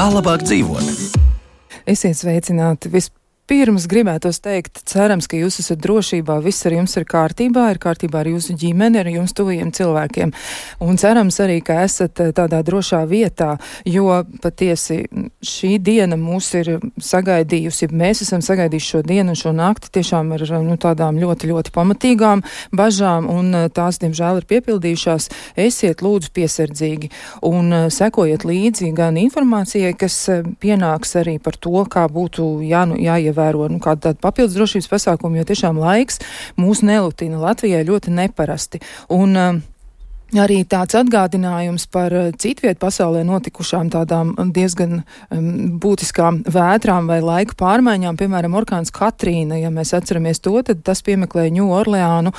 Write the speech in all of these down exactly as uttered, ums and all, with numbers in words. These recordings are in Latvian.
Kā labāk dzīvot? Esiet sveicināti. Vispirms gribētos teikt, cerams, ka jūs esat drošībā, viss ar jums ir kārtībā, ir kārtībā ar jūsu ģimeni, ar jums tuviem cilvēkiem. Un cerams arī, ka esat tādā drošā vietā, jo patiesi šī diena mūs ir sagaidījusi, mēs esam sagaidījuši šo dienu un šo nakti tiešām ar nu, tādām ļoti, ļoti pamatīgām bažām, un tās, diemžēl, ir piepildījušās. Esiet lūdzu piesardzīgi un sekojiet līdzi gan informācijai, kas pienāks arī par to, kā būtu jā, nu, jāievēro nu, kāda tāda papildus drošības pasākuma, jo tiešām laiks mūs nelutina Latvijai ļoti neparasti. Un uh, arī tāds atgādinājums par citvietu pasaulē notikušām tādām diezgan um, būtiskām vētrām vai laika pārmaiņām, piemēram, orkāns Katrīna, ja mēs atceramies to, tad tas piemeklēja Ņū Orleānu,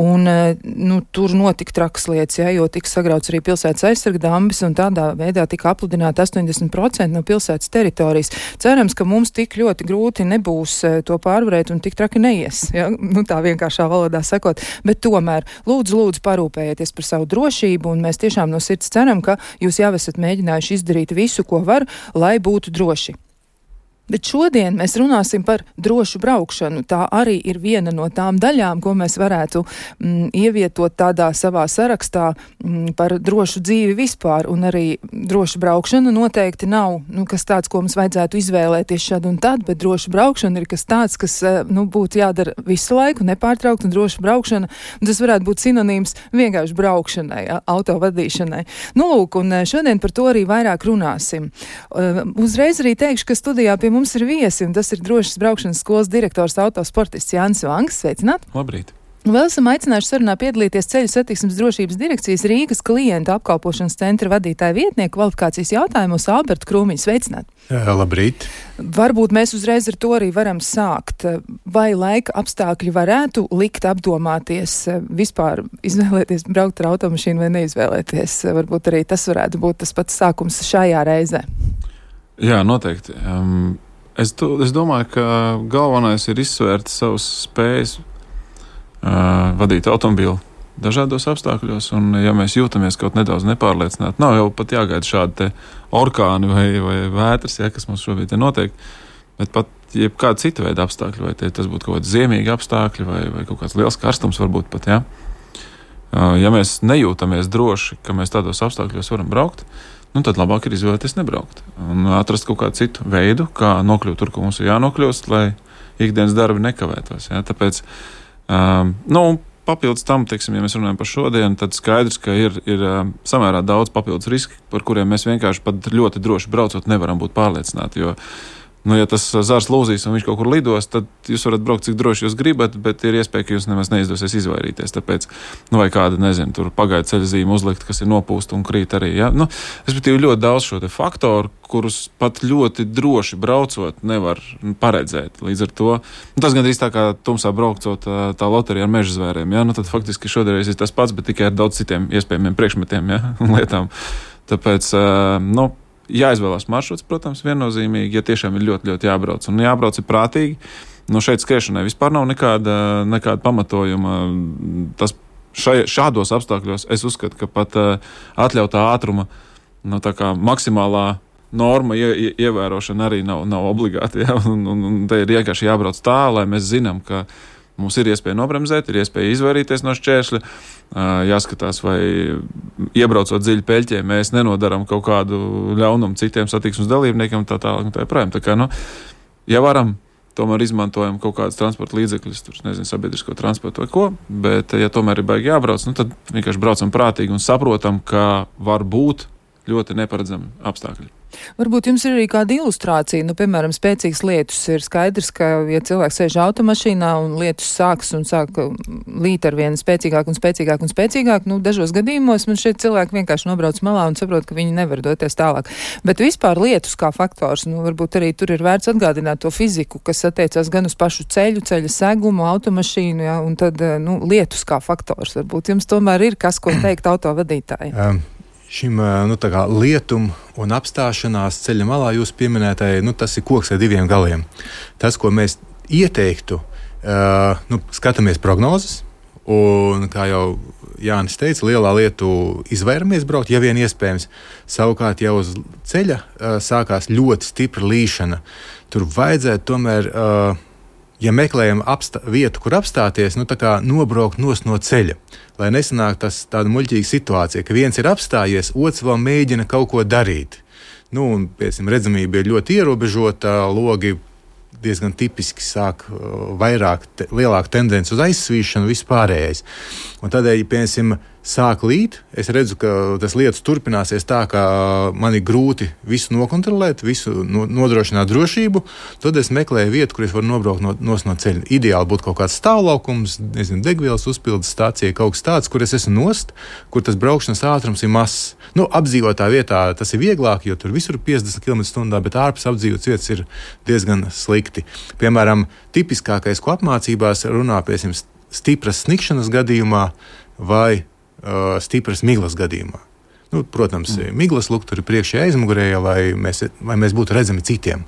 un uh, nu, tur notika trakas lietas, ja, jo tika sagrauts arī pilsētas aizsarga dambis, un tādā veidā tika apludināti astoņdesmit procenti no pilsētas teritorijas. Cerams, ka mums tik ļoti grūti nebūs uh, to pārvarēt un tik traki neies, ja, nu tā vienkāršā valodā sakot, bet tomēr lūdzu, lūdzu parūpējieties par savu drošību, un mēs tiešām no sirds ceram, ka jūs jau esat mēģinājuši izdarīt visu, ko var, lai būtu droši. Bet šodien mēs runāsim par drošu braukšanu. Tā arī ir viena no tām daļām, ko mēs varētu mm, ievietot tādā savā sarakstā mm, par drošu dzīvi vispār, un arī droša braukšana noteikti nav, nu, kas tāds, ko mums vajadzētu izvēlēties šad un tad, bet droša braukšana ir kas tāds, kas, nu, būtu jādara visu laiku, nepārtraukt, un droša braukšana, un tas varētu būt sinonīms vienkārši braukšanai, auto vadīšanai. Nu, lūk, un šodien par to arī vairāk runāsim. Uh, uzreiz arī teikšu, ka studijā pie mums ir viesi, un tas ir drošas braukšanas skolas direktors autosportists Jānis Vangs. Sveicināt! Labrīt! Vēl esam aicinājuši sarunā piedalīties Ceļu satiksmes drošības direkcijas Rīgas klientu apkalpošanas centra vadītāja vietnieku kvalifikācijas jautājumos Albertu Krūmiņu. Sveicināt! Jā, labrīt! Varbūt mēs uzreiz ar to arī varam sākt. Vai laika apstākļi varētu likt apdomāties, vispār izvēlēties braukt ar automašīnu vai neizvēlēties? Varbūt arī tas varētu būt tas pats sākums šajā reizē. Jā, noteikti. Um... Es, to, es domāju, ka galvenais ir izsvērt savas spējas uh, vadīt automobīlu dažādos apstākļos, un ja mēs jūtamies kaut nedaudz nepārliecināti, nav jau pat jāgaida šādi te orkāni vai, vai vētras, ja, kas mums šobrīd te notiek, bet pat jebkāda cita veida apstākļi, vai te, tas būtu kaut kādi ziemīgi apstākļi, vai, vai kaut kāds liels karstums varbūt pat, ja. Uh, ja mēs nejūtamies droši, ka mēs tādos apstākļos varam braukt, nu, tad labāk ir izvēlēties nebraukt un atrast kaut kādu citu veidu, kā nokļūt tur, kur mums ir jānokļūst, lai ikdienas darbi nekavētos. Ja? Tāpēc, um, nu, papildus tam, teiksim, ja mēs runājam par šodienu, tad skaidrs, ka ir, ir um, samērā daudz papildus riski, par kuriem mēs vienkārši pat ļoti droši braucot nevaram būt pārliecināti, jo nu, ja tas zars lūzīs un viņš kaut kur lidos, tad jūs varat braukt, cik droši jūs gribat, bet ir iespēja, ka jūs nemaz neizdosies izvairīties. Tāpēc, nu, vai kāda, nezinu, tur pagaidu ceļa zīme uzlikt, kas ir nopūsta un krīt arī. Ja? Nu, respektīvi, ļoti daudz šo te faktoru, kurus pat ļoti droši braucot nevar paredzēt. Līdz ar to, nu, tas gandrīz tā kā tumsā braucot tā loterija ar meža zvēriem. Ja? Nu, tad faktiski šodien ir tas pats, bet tikai ar daudz citiem iespējamiem priekšmetiem, ja? Un lietām. Tāpēc, nu, jāizvēlās maršruts, protams, viennozīmīgi, ja tiešām ir ļoti, ļoti jābrauc. Un jābrauc ir prātīgi. Nu, šeit skriešanai vispār nav nekāda, nekāda pamatojuma. Tas šai, šādos apstākļos es uzskatu, ka pat uh, atļautā ātruma, nu, tā kā maksimālā norma ie, ie, ievērošana arī nav, nav obligāti. Ja? Un, un, un te ir vienkārši jābrauc tā, lai mēs zinām, ka mums ir iespēja nobremzēt, ir iespēja izvairīties no šķēršļa, jāskatās, vai iebraucot dziļi peļķē, mēs nenodaram kaut kādu ļaunumu citiem satiksmes dalībniekiem, tā tālāk un tā joprojām. Tā kā, nu, ja varam, tomēr izmantojam kaut kādas transporta līdzekļus, tur, nezinu, sabiedrisko transportu vai ko, bet, ja tomēr ir baigi jābrauc, nu, tad vienkārši braucam prātīgi un saprotam, ka var būt ļoti neparedzami apstākļi. Varbūt jums ir arī kāda ilustrācija, nu, piemēram, spēcīgs lietus. Ir skaidrs, ka, ja cilvēks sēž automašīnā un lietus sāks un sāk līt ar vienu spēcīgāk un spēcīgāk un spēcīgāk, nu, dažos gadījumos man šeit cilvēki vienkārši nobrauc malā un saprot, ka viņi nevar doties tālāk. Bet vispār lietus kā faktors, nu, varbūt arī tur ir vērts atgādināt to fiziku, kas attiecās gan uz pašu ceļu, ceļa segumu, automašīnu, ja, un tad, nu, lietus kā faktors. Varbūt jums tomēr ir kas, ko teikt autovadītāji. Um. Šim nu, tā kā lietum un apstāšanās ceļa malā jūs pieminētāji, nu, tas ir koks ar diviem galiem. Tas, ko mēs ieteiktu, uh, nu, skatāmies prognozes, un kā jau Jānis teica, lielā lietu izvairamies braukt, ja vien iespējams. Savukārt jau uz ceļa uh, sākās ļoti stipra līšana. Tur vajadzētu tomēr, uh, ja meklējam apstā, vietu, kur apstāties, nu tā kā nobraukt nos no ceļa. Lai nesanāk tas tāda muļķīga situācija, ka viens ir apstājies, otrs vēl mēģina kaut ko darīt. Nu, un, piemēram, redzamība ir ļoti ierobežota, logi diezgan tipiski sāk uh, vairāk, te, lielāka tendence uz aizsvīšanu, vispārējais. Un tādēļ, piemēram, sāk līt, es redzu, ka tas lietas turpināsies tā, ka man ir grūti visu nokontrolēt, visu no, nodrošināt drošību, tad es meklēju vietu, kur es varu nobraukt no, nos no ceļa. Ideāli būtu kaut kāds stāvlaukums, nezinu, degvielas uzpildes stācija, kaut kas tāds, kur es esmu nost, kur tas braukšanas ātrums ir mazs. Nu, apdzīvotā vietā tas ir vieglāk, jo tur visur ir piecdesmit kilometri stundā, bet ārpus apdzīvotas vietas ir diezgan slikti. Piemēram, tipiskākais, ko apmācībās runā, piemēram, stipras snikšanas gadījumā vai uh, stipras miglas gadījumā. Nu, protams, mm. miglas lukturi priekšējā aizmugurējā, lai mēs, lai mēs būtu redzami citiem.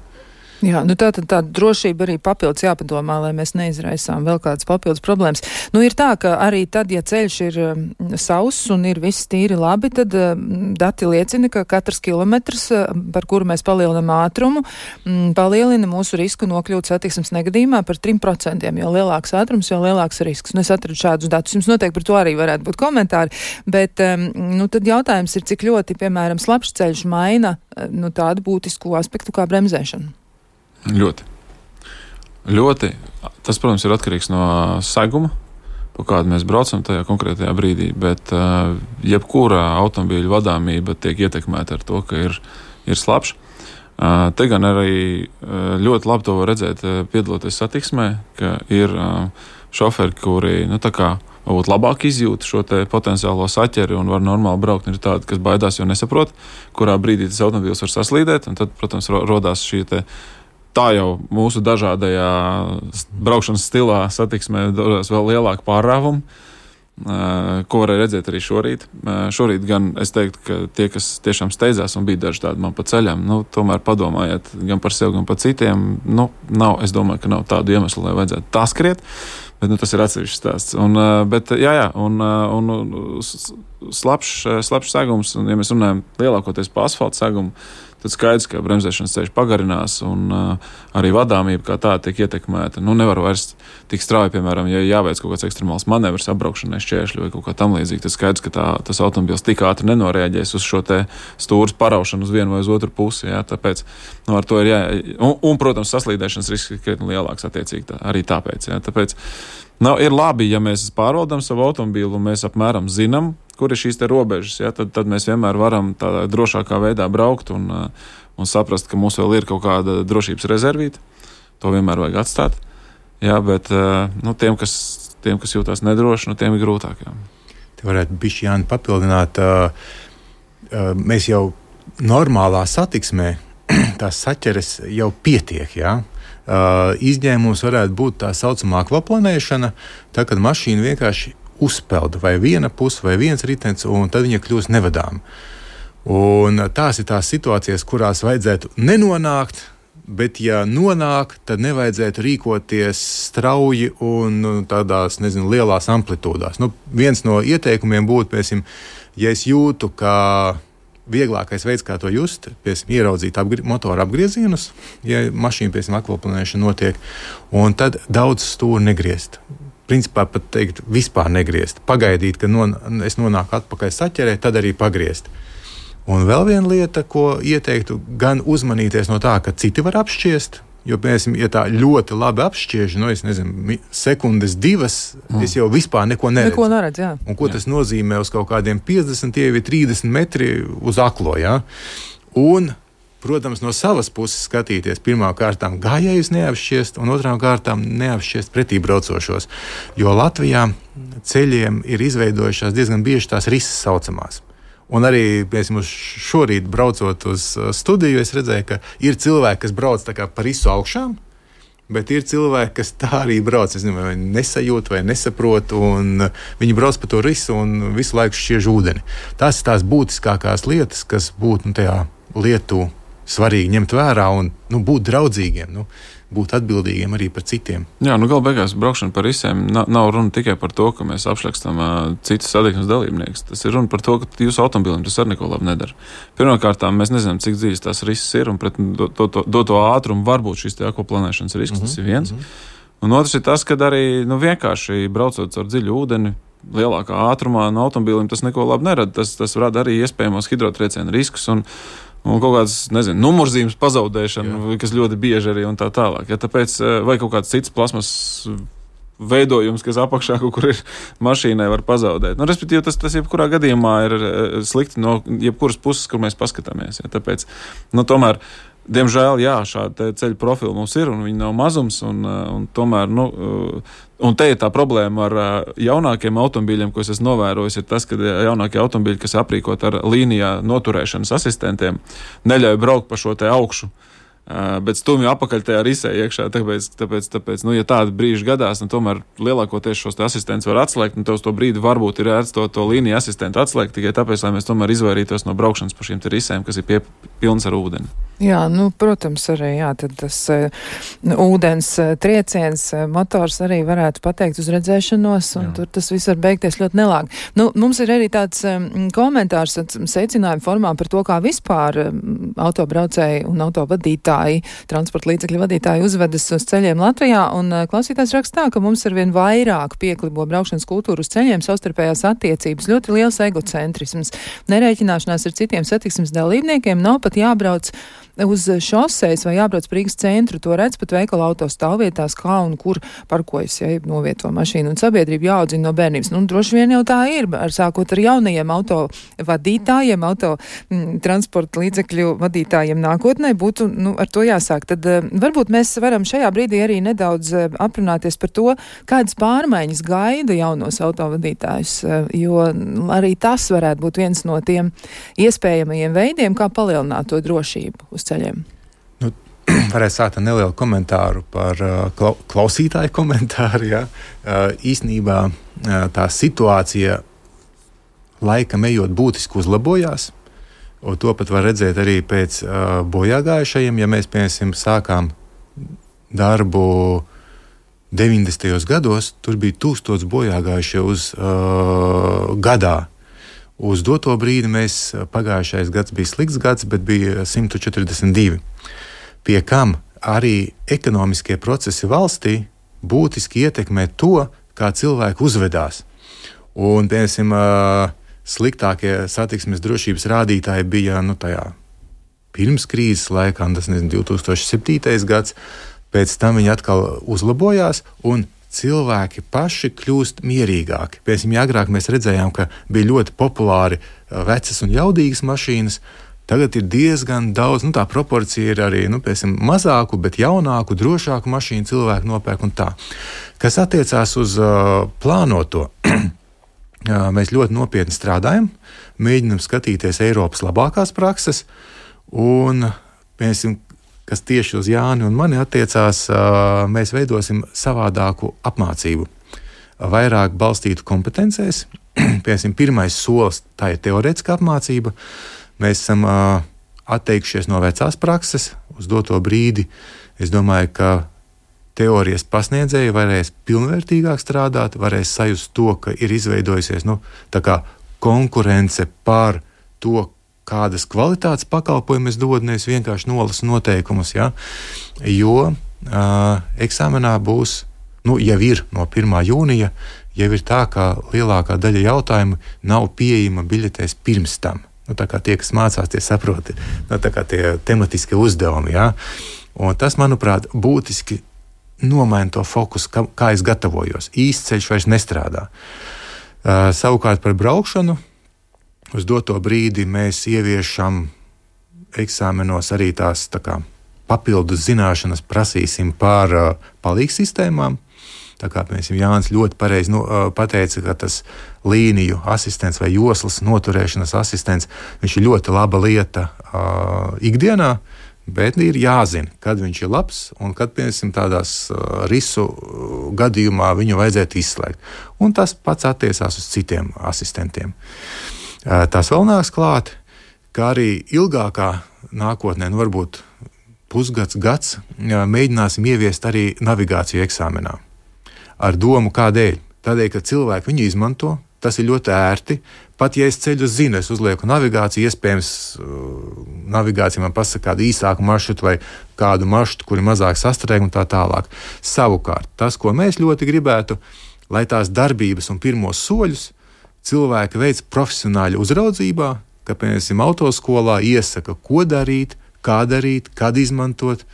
Jā, nu tā tad tāda drošība arī papildus jāpadomā, lai mēs neizraisām vēl kādas papildus problēmas. Nu ir tā, ka arī tad, ja ceļš ir um, sauss un ir viss tīri labi, tad um, dati liecina, ka katrs kilometrs, uh, par kuru mēs palielinam ātrumu, um, palielina mūsu risku nokļūt satiksmes negadījumā par trim procentiem. Jo lielāks ātrums, jo lielāks risks. Un es atradu šādus datus. Jums noteikti par to arī varētu būt komentāri. Bet um, nu, tad jautājums ir, cik ļoti, piemēram, slapjš ceļš maina uh, nu, tādu būtisku aspektu kā bremzēšana. Ļoti. Ļoti. Tas, protams, ir atkarīgs no seguma, pa kādu mēs braucam tajā konkrētajā brīdī, bet uh, jebkura automobīļa vadāmība tiek ietekmēta ar to, ka ir, ir slapjš. Uh, te gan arī uh, ļoti labi to var redzēt, uh, piedaloties satiksmē, ka ir uh, šoferi, kuri, nu, tā kā varbūt labāk izjūt šo te potenciālo saķeri un var normāli braukt, un ir tādi, kas baidās, jo nesaprot, kurā brīdī tas automobīls var saslīdēt, un tad, protams, rodās šī te tā jau mūsu dažādajā braukšanas stilā satiksmē dodas vēl lielāka pārrāvuma, ko varēja redzēt arī šorīt. Šorīt gan es teiktu, ka tie, kas tiešām steidzās un bija daži tādi man pa ceļam, nu, tomēr padomājiet gan par sevi, gan par citiem. Nu, nav, es domāju, ka nav tādu iemeslu, lai vajadzētu tā skriet, bet nu, tas ir atsevišķs stāsts. Un, bet, jā, jā, un, un slapjš, slapjš segums, un ja mēs runājam lielākoties pa asfalta segumu, tad skaidrs, ka bremzēšanas ceļš pagarinās un uh, arī vadāmība kā tā tiek ietekmēta. Nu, nevar vairs tik strauji, piemēram, ja jāveic kaut kāds ekstremāls manevrs apbraukšanai šķēršļu vai kaut kā tam līdzīgi, tad skaidrs, ka tā, tas automobils tik ātri nenoreaģēs uz šo te stūras paraušanu uz vienu vai uz otru pusi. Jā, tāpēc, nu, ar to ir jā... Un, un protams, saslīdēšanas risks ir krietni lielāks attiecīgi tā, arī tāpēc. Jā, tāpēc nu, ir labi, ja mēs pārvaldam savu automobīlu un mēs apmēram zinām, kur ir šīs te robežas, ja, tad, tad mēs vienmēr varam tādā drošākā veidā braukt un, un saprast, ka mums vēl ir kaut kāda drošības rezervīta. To vienmēr vajag atstāt. Jā, bet nu, tiem, kas, tiem, kas jūtās nedroši, nu, tiem ir grūtāk. Jā. Te varētu bišķi, Jāni, papildināt. Mēs jau normālā satiksmē tās saķeres jau pietiek, jā. Izņēmums varētu būt tā saucamā akvaplanēšana, tā, kad mašīna vienkārši uzpelda vai viena puse vai viens ritenis, un tad viņa kļūst nevadām. Un tās ir tās situācijas, kurās vajadzētu nenonākt, bet ja nonāk, tad nevajadzētu rīkoties strauji un tādās, nezinu, lielās amplitūdās. Nu, viens no ieteikumiem būtu, piemēram, ja es jūtu, ka vieglākais veids, kā to just, piemēram, ieraudzīt apgri- motora apgriezienus, ja mašīna, piemēram, akvaplanēšana notiek, un tad daudz stūri negriezt. Principā pat teikt, vispār negriezt. Pagaidīt, ka non, es nonāku atpakaļ saķerē, tad arī pagriezt. Un vēl viena lieta, ko ieteiktu, gan uzmanīties no tā, ka citi var apšķiest, jo, piemēram, ja tā ļoti labi apšķiež, nu, es nezinu, sekundes divas, mm. es jau vispār neko neredzu. Neko neredz, jā. Un ko jā. Tas nozīmē uz kaut kādiem piecdesmit vai trīsdesmit metri uz aklo, jā? Un protams, no savas puses skatīties pirmām kārtām gājējus neapšķiest un otrām kārtām neapšķiest pretī braucošos. Jo Latvijā ceļiem ir izveidojušās diezgan bieži tās risas saucamās. Un arī, piemēram, šorīt braucot uz studiju, es redzēju, ka ir cilvēki, kas brauc tā kā pa risu augšām, bet ir cilvēki, kas tā arī brauc. Es nezinu, vai nesajūt vai nesaprot, un viņi brauc pa to risu un visu laiku šķiež ūdeni. Tās ir tās būtiskākās lietas, kas būtu nu, tajā lietu svarīgi ņemt vērā un nu, būt draudzīgiem. Nu, būt atbildīgiem arī par citiem. Jā, nu galu beigās braukšana par risēm nav, nav runa tikai par to, ka mēs apšlakstam uh, citus satiksmes dalībniekus. Tas ir runa par to, ka jūsu automobilim tas arī neko labi nedara. Pirmkārt, mēs nezinām, cik dziļas tās risks ir, un pret doto do, do, do ātrumu var būt šis te akvaplanēšanas risks, mm-hmm. tas ir viens. Mm-hmm. Un otrs ir tas, ka arī nu, vienkārši braucot caur dziļu ūdeni, lielākā ātrumā no automobilim tas neko labi nerada. Tas, tas rada arī iespējamos hidrotriecienu riskus un, un kaut kādas, nezinu, numurzīmes pazaudēšanu, Jā. Kas ļoti bieži arī un tā tālāk. Ja, tāpēc vai kaut kāds cits plasmas veidojums, kas apakšā kaut kur ir mašīnai, var pazaudēt. Nu, respektīvi, tas, tas jebkurā gadījumā ir slikti no jebkuras puses, kur mēs paskatāmies. Ja, tāpēc, nu, tomēr diemžēl, jā, šāda ceļu profila mums ir, un viņi nav mazums, un, un tomēr, nu, un te ir tā problēma ar jaunākiem automobīļiem, ko es esmu novērojis, ir tas, ka jaunākie automobīļi, kas aprīkot ar līnijā noturēšanas asistentiem, neļauj braukt pa šo te augšu, bet stumju apakaļ tajā risē iekšā, tāpēc, tāpēc, tāpēc, nu, ja tādi brīži gadās, nu, tomēr lielākoties šos te asistents var atslēgt, un tev uz to brīdi varbūt ir ērts to, to līniju asistentu atslēgt, tikai tāpēc, lai mēs tomēr izvairītos no braukšanas pa šīm te risēm, kas ir pie, pilns ar ūdeni. Jā, nu, protams, arī, jā, tad tas uh, ūdens uh, trieciens, uh, motors arī varētu pateikt uz redzēšanos, un jā. Tur tas viss var beigties ļoti nelāgi. Nu, mums ir arī tāds um, komentārs, secinājuma formā par to, kā vispār um, autobraucēji un autovadītāji, transporta līdzekļu vadītāji uzvedas uz ceļiem Latvijā, un uh, klausītājs rakstā, ka mums ar vien vairāk pieklibo braukšanas kultūru uz ceļiem, savstarpējās attiecības, ļoti liels egocentrisms, nerēķināšanās ar citiem satiksmes dalībniekiem, nav pat jābrauc uz šoseis vai jābrauc par Rīgas centru, to redz pat veikala auto stāvvietās, kā un kur parkojas, ja novieto mašīnu, un sabiedrība jāaudzina no bērnības. Nu, droši vien jau tā ir, ar sākot ar jaunajiem auto vadītājiem, auto m, transporta līdzekļu vadītājiem nākotnē būtu, nu, ar to jāsāk. Tad uh, varbūt mēs varam šajā brīdī arī nedaudz uh, aprunāties par to, kādas pārmaiņas gaida jaunos autovadītājus, uh, jo arī tas varētu būt viens no tiem iespējamajiem veidiem, kā palielināt to drošību uz ceļiem. Nu, varētu sākt ar nelielu komentāru par uh, klausītāju komentāru. Ja? Uh, īsnībā uh, tā situācija laikam ejot būtiski uzlabojās, un to pat var redzēt arī pēc uh, bojāgājušajiem. Ja mēs, piemēram, sākām darbu deviņdesmitajos gados, tur bija tūkstots bojāgājušie uz uh, gadā. Uz doto brīdi mēs pagājušais gads bija slikts gads, bet bija simt četrdesmit divi. Pie kam arī ekonomiskie procesi valstī būtiski ietekmē to, kā cilvēki uzvedās. Un, piemēram, sliktākie satiksmes drošības rādītāji bija nu, tajā pirms krīzes laikā, tas nezinu, divi tūkstoši septītais gads, pēc tam viņi atkal uzlabojās un cilvēki paši kļūst mierīgāki. Piemēram, ja agrāk mēs redzējām, ka bija ļoti populāri vecas un jaudīgas mašīnas, tagad ir diezgan daudz, nu tā proporcija ir arī, nu, piemēram, mazāku, bet jaunāku, drošāku mašīnu cilvēku nopērk un tā. Kas attiecās uz uh, plānoto, mēs ļoti nopietni strādājam, mēģinam skatīties Eiropas labākās prakses un, piemēram, kas tieši uz Jāni un mani attiecās, mēs veidosim savādāku apmācību. Vairāk balstītu kompetencēs. Piemēram, pirmais solis tā ir teorētiskā apmācība. Mēs esam atteikšies no vecās prakses uz doto brīdi. Es domāju, ka teorijas pasniedzēji varēs pilnvērtīgāk strādāt, varēs sajust to, ka ir izveidojusies nu, tā kā konkurence par to, kādas kvalitātes pakalpojumus dod, nevis vienkārši nolasu noteikumus, ja? Jo uh, eksāmenā būs, nu, jau ir no pirmā jūnija, jau ir tā, ka lielākā daļa jautājumu nav pieejama biļetēs pirms tam. Nu, tā kā tie, kas mācās, tie saproti, nu, tā kā tie tematiskie uzdevumi, ja? Un tas, manuprāt, būtiski nomaina to fokusu, kā, kā es gatavojos. Īsts ceļš vairs nestrādā. Uh, savukārt par braukšanu, uz doto brīdi mēs ieviešam eksāmenos arī tās tā kā, papildus zināšanas, prasīsim par uh, palīgsistēmām. Tā kā mēs Jānis ļoti pareizi nu, uh, pateica, ka tas līniju asistents vai joslas noturēšanas asistents, viņš ir ļoti laba lieta uh, ikdienā, bet ir jāzina, kad viņš ir labs un kad, piemēram, tādās uh, risu gadījumā viņu vajadzētu izslēgt. Un tas pats attiecās uz citiem asistentiem. Tas vēl nāks klāt, ka arī ilgākā nākotnē, nu varbūt pusgads, gads mēģināsim ieviest arī navigāciju eksāmenā. Ar domu kādēļ? Tādēļ, ka cilvēki viņu izmanto, tas ir ļoti ērti. Pat ja es ceļu zinu, es uzlieku navigāciju, iespējams, navigācija man pasaka kādu īsāku maršrutu vai kādu maršrutu, kuri mazāk sastrēg un tā tālāk. Savukārt, tas, ko mēs ļoti gribētu, lai tās darbības un pirmos soļus cilvēki veic profesionāļu uzraudzībā, ka, piemēram, autoskolā iesaka, ko darīt, kā darīt, kad izmantot,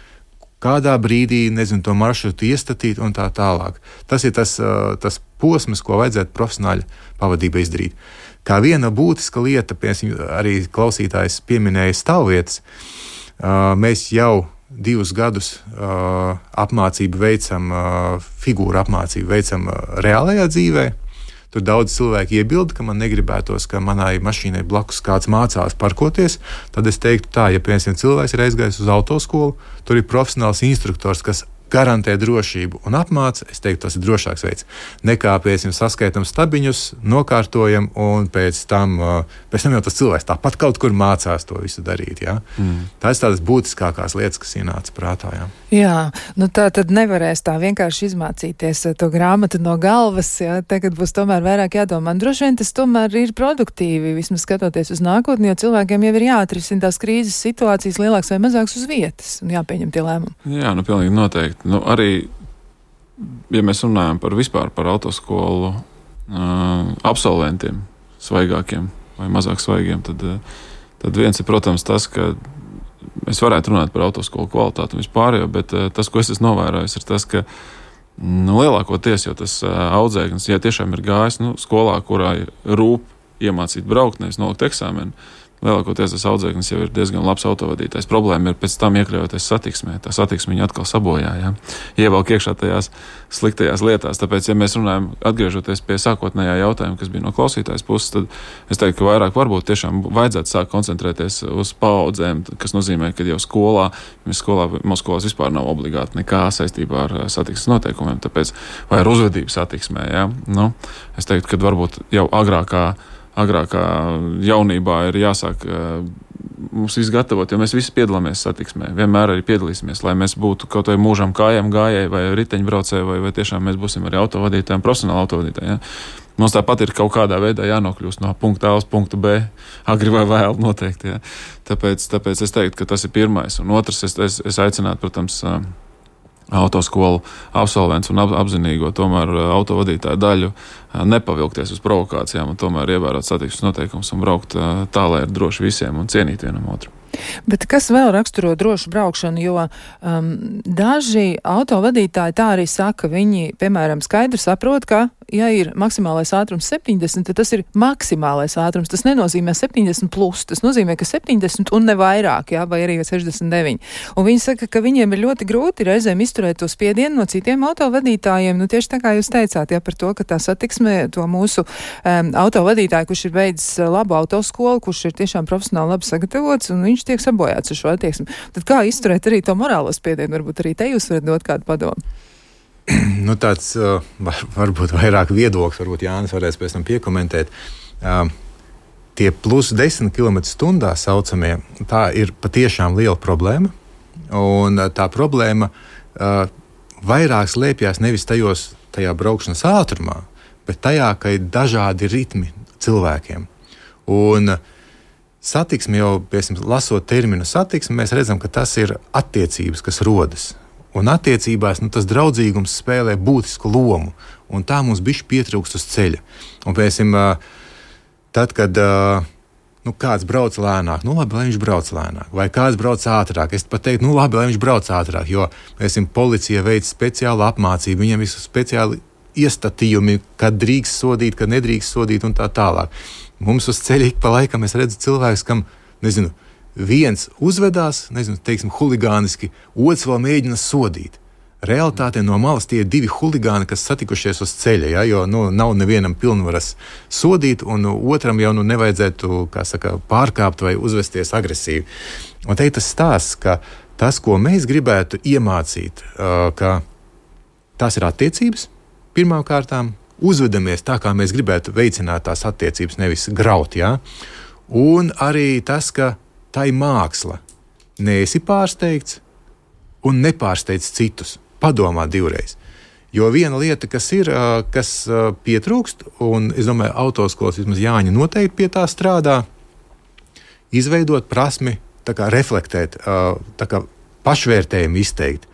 kādā brīdī, nezinu, to maršrutu iestatīt un tā tālāk. Tas ir tas, tas posms, ko vajadzētu profesionāļu pavadībā izdarīt. Kā viena būtiska lieta, piemēram, arī klausītājs pieminēja stāvvietas, mēs jau divus gadus apmācību veicam, figūru apmācību veicam reālajā dzīvē. Tur daudz cilvēki iebilda, ka man negribētos, ka manai mašīnai blakus kāds mācās parkoties. Tad es teiktu tā, ja piemēram cilvēks ir aizgājis uz autoskolu, tur ir profesionāls instruktors, kas garantē drošību un apmāca. Es teiktu, tas ir drošāks veids. Nekā, piemēram, saskaitam stabiņus, nokārtojam un pēc tam, pēc tam jau tas cilvēks tāpat kaut kur mācās to visu darīt. Ja? Mm. Tā ir tādas būtiskākās lietas, kas ienāca prātā. Ja? Jā, nu tā tad nevarēs tā vienkārši izmācīties to grāmatu no galvas, ja? Tagad būs tomēr vairāk jādomā. Droši vien tas tomēr ir produktīvi, vismaz skatoties uz nākotni, jo cilvēkiem jau ir jāatrisina tās krīzes situācijas lielāks vai mazāks uz vietas un jāpieņem tie lēmumi. Jā, nu pilnīgi noteikti. Nu, arī, ja mēs runājam par vispār par autoskolu uh, absolventiem, svaigākiem vai mazāk svaigiem, tad, uh, tad viens ir, protams, tas, ka es varētu runāt par autoskolu kvalitāti un vispārējo, bet uh, tas, ko es esmu novērojis, ir tas, ka nu, lielākoties jau tas uh, audzēknis, ja tiešām ir gājis nu, skolā, kurā rūp iemācīt braukt, nevis nolikt eksāmenu, lielākoties tas audzēknis jau ir diezgan labs autovadītājs. Problēma ir pēc tam iekļaujoties satiksmē. Tā satiksme viņu atkal sabojā, ja? Ievelk iekšā tajās sliktajās lietās. Tāpēc, ja mēs runājam, atgriežoties pie sākotnējā jautājuma, kas bija no klausītājas puses, tad es teiktu, ka vairāk varbūt tiešām vajadzētu sākt koncentrēties uz paaudzēm, kas nozīmē, ka jau skolā, mēs skolā, mūsu skolās vispār nav obligāti nekā saistībā ar satiksmes noteikumiem, tāpēc, vai ar uzvedību satiksmē, ja? Nu, es teiktu, ka varbūt jau agrākā agrākā jaunībā ir jāsāk uh, mums izgatavot, jo mēs visi piedalāmies satiksmē. Vienmēr arī piedalīsimies, lai mēs būtu kaut vai mūžam kājām gājēji vai riteņbraucēji, vai, vai tiešām mēs būsim arī autovadītājiem, profesionāli autovadītāji. Ja? Mums tāpat ir kaut kādā veidā jānokļūst no punkta A uz punktu B, agri vai vēl noteikti. Ja? Tāpēc, tāpēc es teiktu, ka tas ir pirmais. Un otrs, es, es, es aicinātu, protams, uh, autoskolu absolvents un ap, apzinīgo tomēr autovadītāju daļu nepavilkties uz provokācijām un tomēr ievērot satiksmes noteikumus un braukt tā, lai ir droši visiem un cienīt vienam otru. Bet kas vēl raksturo drošu braukšanu, jo um, daži autovadītāji tā arī saka, viņi, piemēram, skaidri saprot, ka, ja ir maksimālais ātrums septiņdesmit, tad tas ir maksimālais ātrums. Tas nenozīmē septiņdesmit plus, tas nozīmē, ka septiņdesmit un ne vairāk, jā, vai arī sešdesmit deviņi. Un viņi saka, ka viņiem ir ļoti grūti reizēm izturēt to spiedienu no citiem autovadītājiem, nu tieši tā kā jūs teicāt, jā, par to, ka tā satiksme, to mūsu um, autovadītāju, kurš ir beidzis labu autoskolu, kurš ir tiešām profesionāli labi sagatavots, un viņš tiek sabojāts ar šo attieksmi. Tad kā izturēt arī to morālo spiedienu? Varbūt arī te jūs varat dot kādu padomu. Nu, tāds uh, var, varbūt vairāk viedoklis, varbūt Jānis varēs pēc tam piekomentēt. Uh, tie plus desmit kilometri stundā saucamie, tā ir patiešām liela problēma. Un uh, tā problēma uh, vairāk slēpjas nevis tajos, tajā braukšanas ātrumā, bet tajā, ka ir dažādi ritmi cilvēkiem. Un uh, satiksme jau, piemēram, lasot terminu satiksme, mēs redzam, ka tas ir attiecības, kas rodas. Un attiecībās nu, tas draudzīgums spēlē būtisku lomu, un tā mums bišķi pietrūkst uz ceļa. Un, piemēram, tad, kad nu, kāds brauc lēnāk, nu labi, lai viņš brauc lēnāk, vai kāds brauc ātrāk, es pat teiktu, nu labi, lai viņš brauc ātrāk, jo, piemēram, policija veic speciālu apmācību, viņam visu speciāli iestatījumi, kad drīkst sodīt, kad nedrīkst sodīt un tā tālāk. Mums uz ceļa ik pa laikam es redzu cilvēkus, kam, nezinu, viens uzvedās, nezinu, teiksim, huligāniski, otrs vēl mēģina sodīt. Realtātē no malas tie ir divi huligāni, kas satikušies uz ceļa, ja, jo nu, nav nevienam pilnvaras sodīt, un otram jau nu, nevajadzētu, kā saka, pārkāpt vai uzvesties agresīvi. Un te ir tas stāsts, ka tas, ko mēs gribētu iemācīt, ka tās ir attiecības, pirmām kārtām, uzvedamies tā, kā mēs gribētu veicināt tās attiecības, nevis graut, ja? Un arī tas, ka tā ir māksla. Neesi pārsteigts, un nepārsteidz citus. Padomā divreiz. Jo viena lieta, kas ir, kas pietrūkst, un es domāju, autoskolas vismaz Jāņa noteikti pie tā strādā, izveidot prasmi, tā kā reflektēt, tā kā pašvērtējumu izteikt.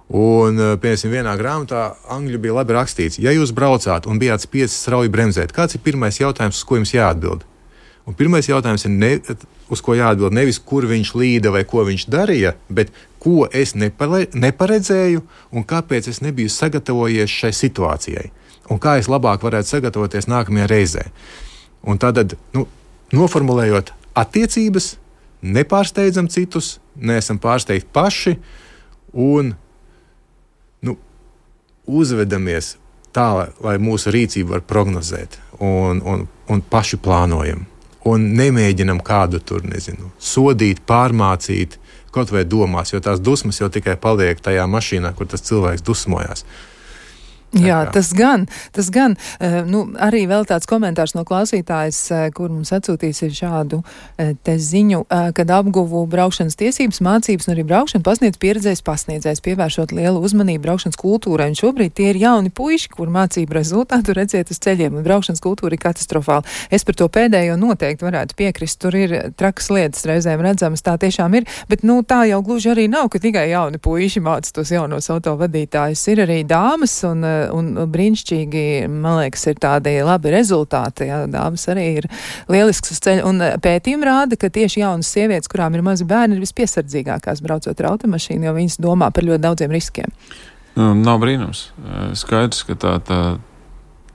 Un, piemēram, vienā grāmatā angļu bija labi rakstīts, ja jūs braucāt un bijāt spiestis strauji bremzēt, kāds ir pirmais jautājums, uz ko jums jāatbild? Un pirmais jautājums ir, ne, uz ko jāatbild nevis, kur viņš līda vai ko viņš darīja, bet ko es nepare, neparedzēju un kāpēc es nebiju sagatavojies šai situācijai. Un kā es labāk varētu sagatavoties nākamajā reizē. Un tad, nu, noformulējot attiecības, nepārsteidzam citus, neesam pārsteigti paši un nu, uzvedamies tā, lai mūsu rīcību var prognozēt un, un, un paši plānojam. Un nemēģinam kādu tur, nezinu, sodīt, pārmācīt, kaut vai domās, jo tās dusmas jau tikai paliek tajā mašīnā, kur tas cilvēks dusmojās. Jā, tas gan, tas gan. Uh, nu, arī vēl tāds komentārs no klausītājas, uh, kur mums atsūtīs ir šādu uh, te ziņu, uh, kad apguvu braukšanas tiesības, mācības un arī braukšanu pasniedz pieredzējis pasniedzējs, pievēršot lielu uzmanību braukšanas kultūrai. Un šobrīd tie ir jauni puiši, kur mācību rezultātu redzēt uz ceļiem, un braukšanas kultūra ir katastrofāla. Es par to pēdējo noteikti varētu piekrist. Tur ir trakas lietas reizēm redzamas, tā tiešām ir, bet nu, tā jau gluži arī nav, ka tikai jauni puiši māca tos jaunos autovadītājus. Ir arī dāmas un un brīnišķīgi, man liekas, ir tādi labi rezultāti. Jā, dāmas arī ir lielisks uz ceļa. Un pētījumi rāda, ka tieši jaunas sievietes, kurām ir mazi bērni, ir vispiesardzīgākās braucot ar automašīnu, jo viņas domā par ļoti daudziem riskiem. Nu, nav brīnums. Skaidrs, ka tā, tā,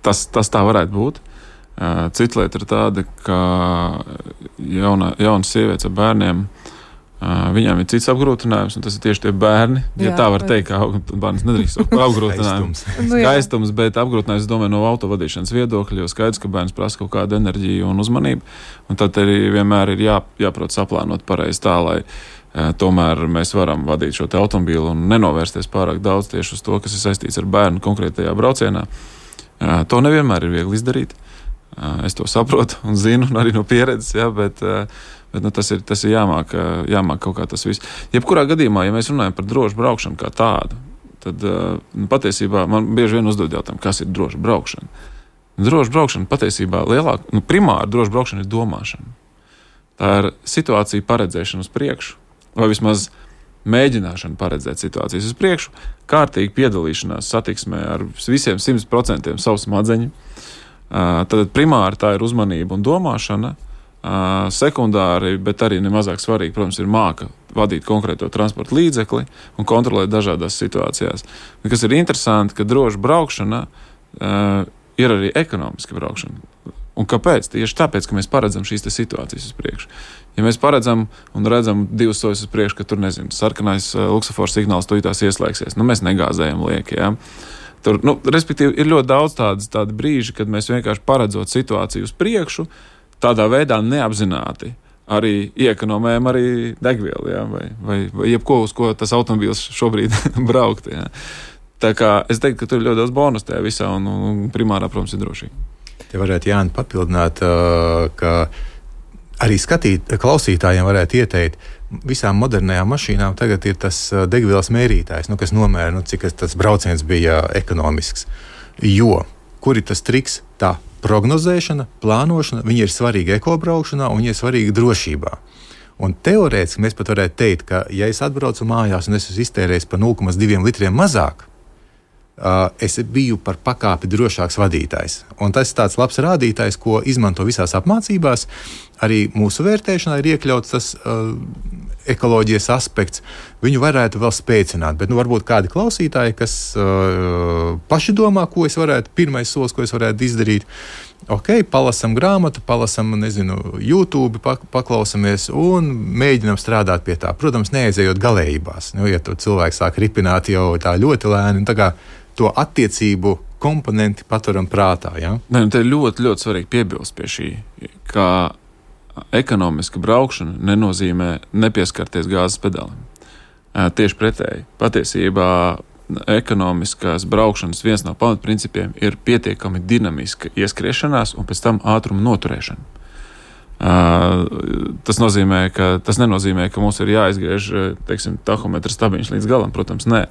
tas, tas tā varētu būt. Cita lieta ir tāda, ka jauna, jaunas sievietes ar bērniem, viņām ir cits apgrūtinājums, un tas ir tieši tie bērni. Ja jā, tā var teikt, ka bērns nedrīkst apgrūtinājums. Gaistums, bet apgrūtinājums, es domāju, no autovadīšanas viedokļa, jo skaidrs, ka bērns prasa kaut kādu enerģiju un uzmanību, un tad arī vienmēr ir jā, jāprot saplānot pareizi tā, lai uh, tomēr mēs varam vadīt šo te automobīlu un nenovērsties pārāk daudz tieši uz to, kas ir saistīts ar bērnu konkrētajā braucienā. Uh, to nevienmēr ir viegli izdarīt. Uh, es to saprotu un zinu, un arī no pieredzes, jā, bet uh, Bet, nu, tas ir, tas ir jāmāk, jāmāk kaut kā tas viss. Jebkurā gadījumā, ja mēs runājam par drošu braukšanu kā tādu, tad nu, patiesībā man bieži vien uzdod jautājumu, kas ir droša braukšana. Droša braukšana patiesībā lielāk, nu, primāri droša braukšana ir domāšana. Tā ir situācija paredzēšana uz priekšu, vai vismaz mēģināšana paredzēt situācijas uz priekšu, kārtīgi piedalīšanās satiksmē ar visiem simt procentiem savu smadzeņu. Tad primāri tā ir uzmanība un domāšana. Uh, sekundāri, bet arī nemazāk svarīgi, protams, ir māka vadīt konkrēto transporta līdzekli un kontrolēt dažādās situācijās. Un kas ir interesanti, ka droša braukšana uh, ir arī ekonomiska braukšana. Un kāpēc? Tieši tāpēc, ka mēs paredzam šīs situācijas uz priekšu. Ja mēs paredzam un redzam divus soļus uz priekšu, ka tur, nezinu, sarkanais uh, luksofors signāls tūlītās ieslēgsies, nu mēs negāzējam lieki, jā. Tur, nu, respektīvi, ir ļoti daudz tādas, tādi brīži, kad mēs vienkārši paredzot situāciju uz priekšu, tādā veidā neapzināti arī iekonomējam arī degvielu, jā, vai, vai, vai jebko, uz ko tas automobīls šobrīd braukt. Jā. Tā kā es teiktu, ka tur ir ļoti daudz bonus tajā visā, un, un primārā, protams, ir drošība. Te varētu, Jāni, papildināt, ka arī skatīt, klausītājiem varētu ieteikt, visām modernajām mašīnām tagad ir tas degvielas mērītājs, nu, kas nomēra, nu, cik tas brauciens bija ekonomisks. Jo, kur ir tas triks? Tā prognozēšana, plānošana, viņi ir svarīgi ekobraukšanā un viņi ir svarīgi drošībā. Un teorētiski mēs pat varētu teikt, ka ja es atbraucu mājās un es esmu iztērējis par nulle komats divi litriem mazāk, uh, es biju par pakāpi drošāks vadītājs. Un tas ir tāds labs rādītājs, ko izmanto visās apmācībās. Arī mūsu vērtēšanā ir iekļauts tas uh, ekoloģijas aspekts. Viņu varētu vēl spēcināt, bet nu, varbūt kādi klausītāji, kas uh, paši domā, ko es varētu, pirmais solis, ko es varētu izdarīt. Ok, palasam grāmatu, palasam, nezinu, YouTube, paklausamies un mēģinam strādāt pie tā. Protams, neaizējot galējībās. Nu, ja to cilvēks sāk ripināt jau tā ļoti lēni, tā kā to attiecību komponenti paturam prātā. Ja? Ne, te ir ļoti, ļoti svarīgi piebilst pie šī, ka ekonomiska braukšana nenozīmē nepieskarties gāzes pedālim. Tieši pretēji. Patiesībā ekonomiskās braukšanas viens no pamatprincipiem ir pietiekami dinamiska ieskriešanās un pēc tam ātruma noturēšana. Uh, tas nozīmē, ka tas nenozīmē, ka mums ir jāizgriež, teiksim, tahometra stabiņš līdz galam, protams, nē.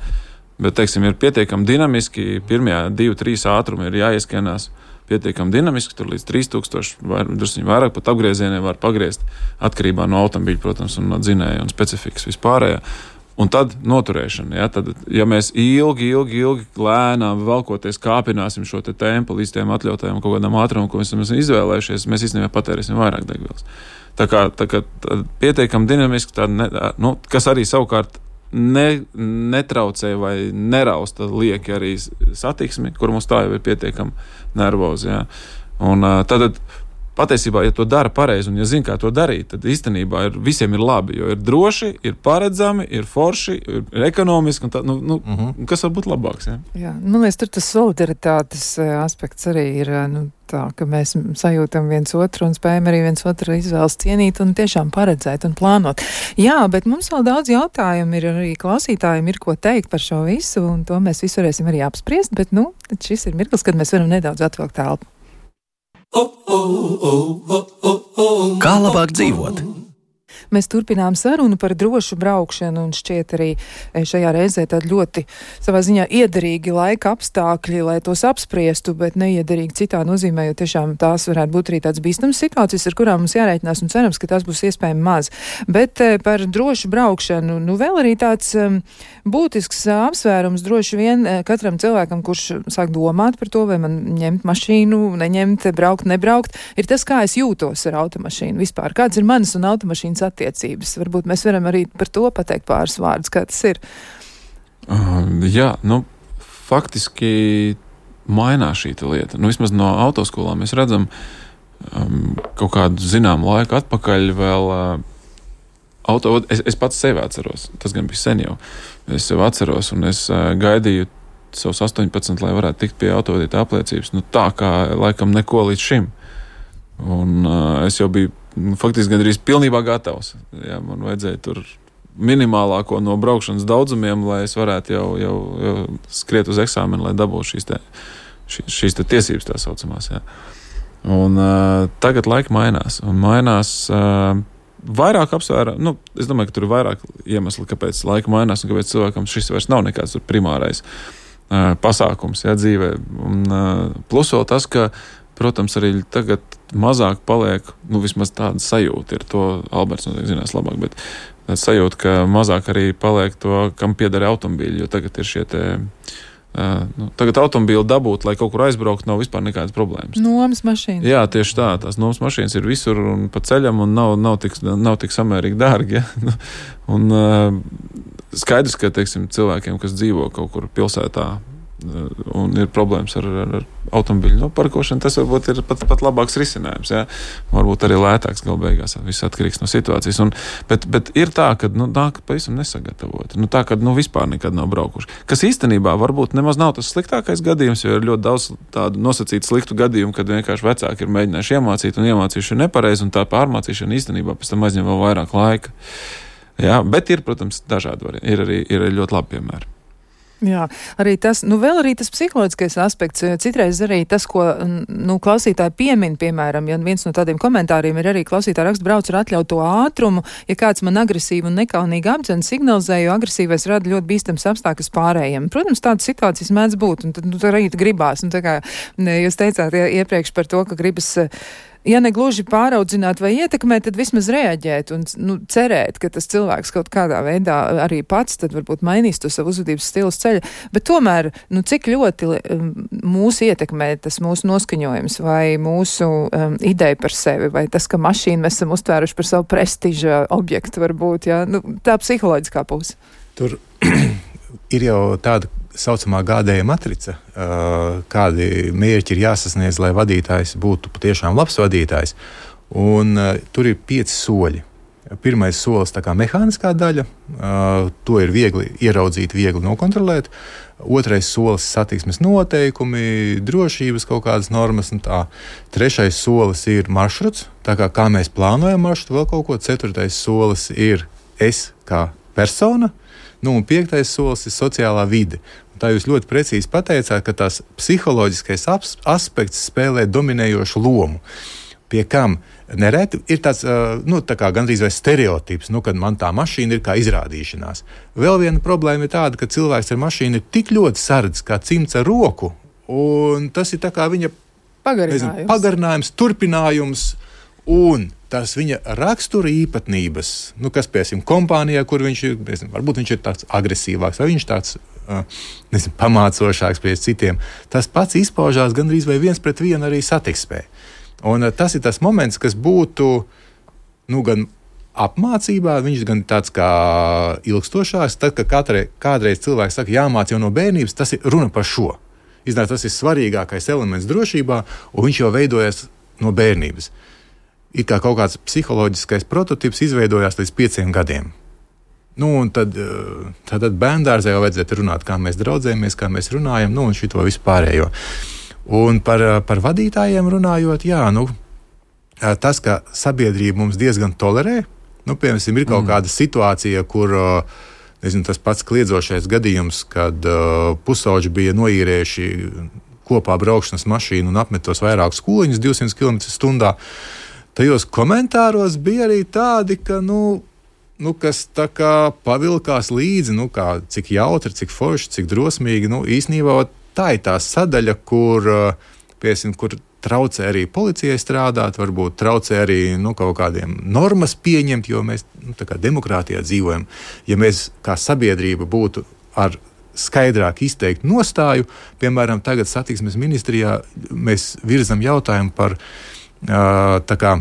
Bet, teiksim, ir pietiekami dinamiski, pirmajā divi, trīs ātrumi ir jāieskenās pietiekami dinamiski, tur līdz trīs tūkstoši, vai drusciņi vairāk pat apgriezieniem var pagriezt, atkarībā no automobīļa, protams, un no dzinēja un specifikas vispārējā. Un tad noturēšana, ja, tad, ja mēs ilgi, ilgi, ilgi lēnām velkoties kāpināsim šo te tempu līdz tiem atļautajiem kaut kādām ātrumam, ko mēs esam izvēlējušies, mēs īstenībā patērēsim vairāk degvielas. Tā kā, tā kā tā pietiekami dinamiski, tā ne, nu, kas arī savukārt ne, netraucē vai nerausta lieki arī satiksmi, kur mums tā jau ir pietiekami nervozi. Ja. Un tad patiesībā, ja to dara pareizi un ja zina, kā to darīt, tad īstenībā ir, visiem ir labi, jo ir droši, ir paredzami, ir forši, ir ekonomiski, un tā, nu, nu, uh-huh. kas var būt labāks. Ja? Jā, man liekas, tur tas solidaritātes aspekts arī ir, nu, tā, ka mēs sajūtam viens otru un spējam arī viens otru izvēles cienīt un tiešām paredzēt un plānot. Jā, bet mums vēl daudz jautājumu ir, arī klausītājiem ir ko teikt par šo visu, un to mēs visu varēsim arī apspriest, bet, nu, šis ir mirklis, kad mēs varam nedaudz atvilkt telpu. Kā labāk dzīvot? Mēs turpinām sarunu par drošu braukšanu un šķiet arī šajā reizē tādi ļoti savā ziņā iederīgi laika apstākļi, lai tos apspriestu, bet neiederīgi citā nozīmē, jo tiešām tās varētu būt arī tāds bīstams situācijas, ar kurām mums jārēķinās un cerams, ka tās būs iespējami maz. Bet par drošu braukšanu, nu vēl arī tāds um, būtisks apsvērums droši vien katram cilvēkam, kurš sāk domāt par to, vai man ņemt mašīnu, neņemt, braukt, nebraukt, ir tas, kā es jūtos ar automašīnu vispār. Kāds ir manas un automašīnas attiecības? Attiecības. Varbūt mēs varam arī par to pateikt pāris vārdus, kā tas ir. Uh, jā, nu, faktiski mainās šī lieta. Nu, vismaz no autoskolām mēs redzam um, kaut kādu zināmu laiku atpakaļ vēl uh, auto, es, es pats sevi atceros, tas gan bija sen jau. Es sevi atceros un es uh, gaidīju savus astoņpadsmit, lai varētu tikt pie autovadītāja apliecības. Nu, tā kā laikam neko līdz šim. Un uh, es jau biju faktiski gandrīz pilnībā gatavs. Jā, man vajadzēja tur minimālāko no braukšanas daudzumiem, lai es varētu jau, jau, jau skriet uz eksāmenu, lai dabūtu šīs, te, šīs, šīs te tiesības tā saucamās. Jā. Un uh, tagad laika mainās. Un mainās uh, vairāk apsvēra, nu, es domāju, ka tur ir vairāk iemesli, kāpēc laika mainās un kāpēc cilvēkam šis vairs nav nekāds primārais uh, pasākums, jā, dzīvē. Un uh, plus vēl tas, ka protams, arī tagad mazāk paliek, nu, vismaz tāda sajūta ir to, Alberts noteikti zinās labāk, bet tāda sajūta, ka mazāk arī paliek to, kam pieder automobīļi, jo tagad ir šie te, uh, nu, tagad automobīli dabūt, lai kaut kur aizbraukt, nav vispār nekādas problēmas. Nomas mašīnas. Jā, tieši tā, tās nomas mašīnas ir visur un pa ceļam un nav, nav, tik, nav tik samērīgi dārgi, ja? Un uh, skaidrs, ka, teiksim, cilvēkiem, kas dzīvo kaut kur pilsētā, un ir problēmas ar, ar, ar automobīļu noparkošanu, tas varbūt ir pat, pat labāks risinājums. Ja? Varbūt arī lētāks gal beigās, viss atkarīgs no situācijas. Un, bet, bet ir tā, ka nu, nāk pavisam nesagatavoti. Nu, tā, ka nu, vispār nekad nav braukuši. Kas īstenībā varbūt nemaz nav tas sliktākais gadījums, jo ir ļoti daudz tādu nosacītu sliktu gadījumu, kad vienkārši vecāki ir mēģinājuši iemācīt un iemācījuši nepareizi, un tā pārmācīšana īstenībā pēc tam aizņem vēl vairāk laika. Ja? Bet ir, protams, dažādi varianti. Ir arī ir ļoti labi piemēri. Jā, arī tas, nu vēl arī tas psiholoģiskais aspekts, citreiz arī tas, ko, nu, klausītāji piemin, piemēram, ja viens no tādiem komentāriem ir arī klausītāji raksta brauc ar atļautu ātrumu, ja kāds man agresīvi un nekaunīgi apdzen signalizē, jo agresīvais rada ļoti bīstams apstākļus pārējiem. Protams, tādas situācijas mēdz būt, un tad, nu, arī gribās, un tā kā jūs teicāt iepriekš par to, ka gribas, ja ne gluži pāraudzināt vai ietekmēt, tad vismaz reaģēt un, nu, cerēt, ka tas cilvēks kaut kādā veidā arī pats tad varbūt mainīs to savu uzvedības stilu ceļa. Bet tomēr, nu, cik ļoti um, mūsu ietekmē tas mūsu noskaņojums vai mūsu um, ideja par sevi, vai tas, ka mašīnu mēs esam uztvēruši par savu prestiža objektu varbūt, jā, nu, tā psiholoģiskā puse. Tur ir jau tāda saucamā gādēja matrica, kādi mērķi ir jāsasniedz, lai vadītājs būtu patiešām labs vadītājs. Un uh, tur ir pieci soļi. Pirmais solis tā kā mehāniskā daļa, uh, to ir viegli ieraudzīt, viegli nokontrolēt. Otrais solis satiksmes noteikumi, drošības kaut kādas normas un tā. Trešais solis ir maršruts, tā kā, kā mēs plānojam maršrutu, vēl kaut ko. Ceturtais solis ir es kā persona. Nu, un piektais solis ir sociālā vide. Un tā jūs ļoti precīzi pateicāt, ka tās psiholoģiskais aspekts spēlē dominējošu lomu. Pie kam nereti ir tāds, nu, tā kā gandrīz vai stereotips, nu, kad man tā mašīna ir kā izrādīšanās. Vēl viena problēma ir tāda, ka cilvēks ar mašīnu ir tik ļoti sardzis kā cimds ar roku, un tas ir tā kā viņa pagarinājums, nezinu, pagarinājums turpinājums, un tās viņa rakstura īpatnības, nu, kas, piemēram, kompānijā, kur viņš ir, nezinu, varbūt viņš ir tāds agresīvāks, vai viņš tāds, nezinu, pamācošāks pie citiem, tas pats izpaužās gandrīz vai viens pret vienu arī satiksmē. Un tas ir tas moments, kas būtu, nu, gan apmācībā, viņš gan tāds kā ilgstošāks, tad, kad kādreiz, kādreiz cilvēks saka, jāmāc jau no bērnības, tas ir runa par šo. Iznāk, tas ir svarīgākais elements drošībā, un viņš jau veidojas no bērnības. Ir kā kaut kāds psiholoģiskais prototyps izveidojās līdz pieciem gadiem. Nu, un tad, tad bērndārzā jau vajadzētu runāt, kā mēs draudzējamies, kā mēs runājam, nu, un šito vispārējo. Un par, par vadītājiem runājot, jā, nu, tas, ka sabiedrība mums diezgan tolerē, nu, piemēram, ir kaut mm. kāda situācija, kur, nezinu, tas pats kliedzošais gadījums, kad uh, pusauģi bija noīrējuši kopā braukšanas mašīnu un apmetos vairākus kūliņus divsimt kilometrus stundā. Tajos komentāros bija arī tādi, ka, nu, nu kas tā kā pavilkās līdzi, nu, kā, cik jautri, cik forši, cik drosmīgi, nu, īsnībā tā ir tā sadaļa, kur, piesim, kur traucē arī policijai strādāt, varbūt traucē arī nu, kaut kādiem normas pieņemt, jo mēs nu, tā kā demokrātijā dzīvojam. Ja mēs kā sabiedrība būtu ar skaidrāk izteikt nostāju, piemēram, tagad satiksmes ministrijā mēs virzam jautājumu par tā kā,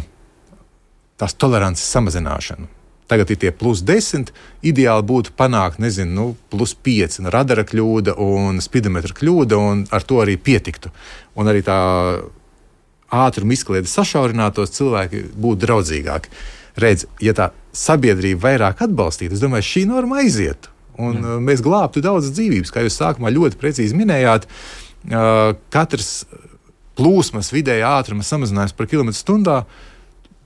tās tolerances samazināšanu. Tagad ir tie plus desmit, ideāli būtu panākt, nezinu, nu, plus pieci, radara kļūda un spidometra kļūda, un ar to arī pietiktu. Un arī tā ātruma izkliede sašaurinātos, cilvēki būtu draudzīgāki. Redz, ja tā sabiedrība vairāk atbalstītu, es domāju, šī norma aizietu, un mm. mēs glābtu daudz dzīvības, kā jūs sākumā ļoti precīzi minējāt, katrs plūsmas vidēja ātruma samazinājums par kilometru stundā,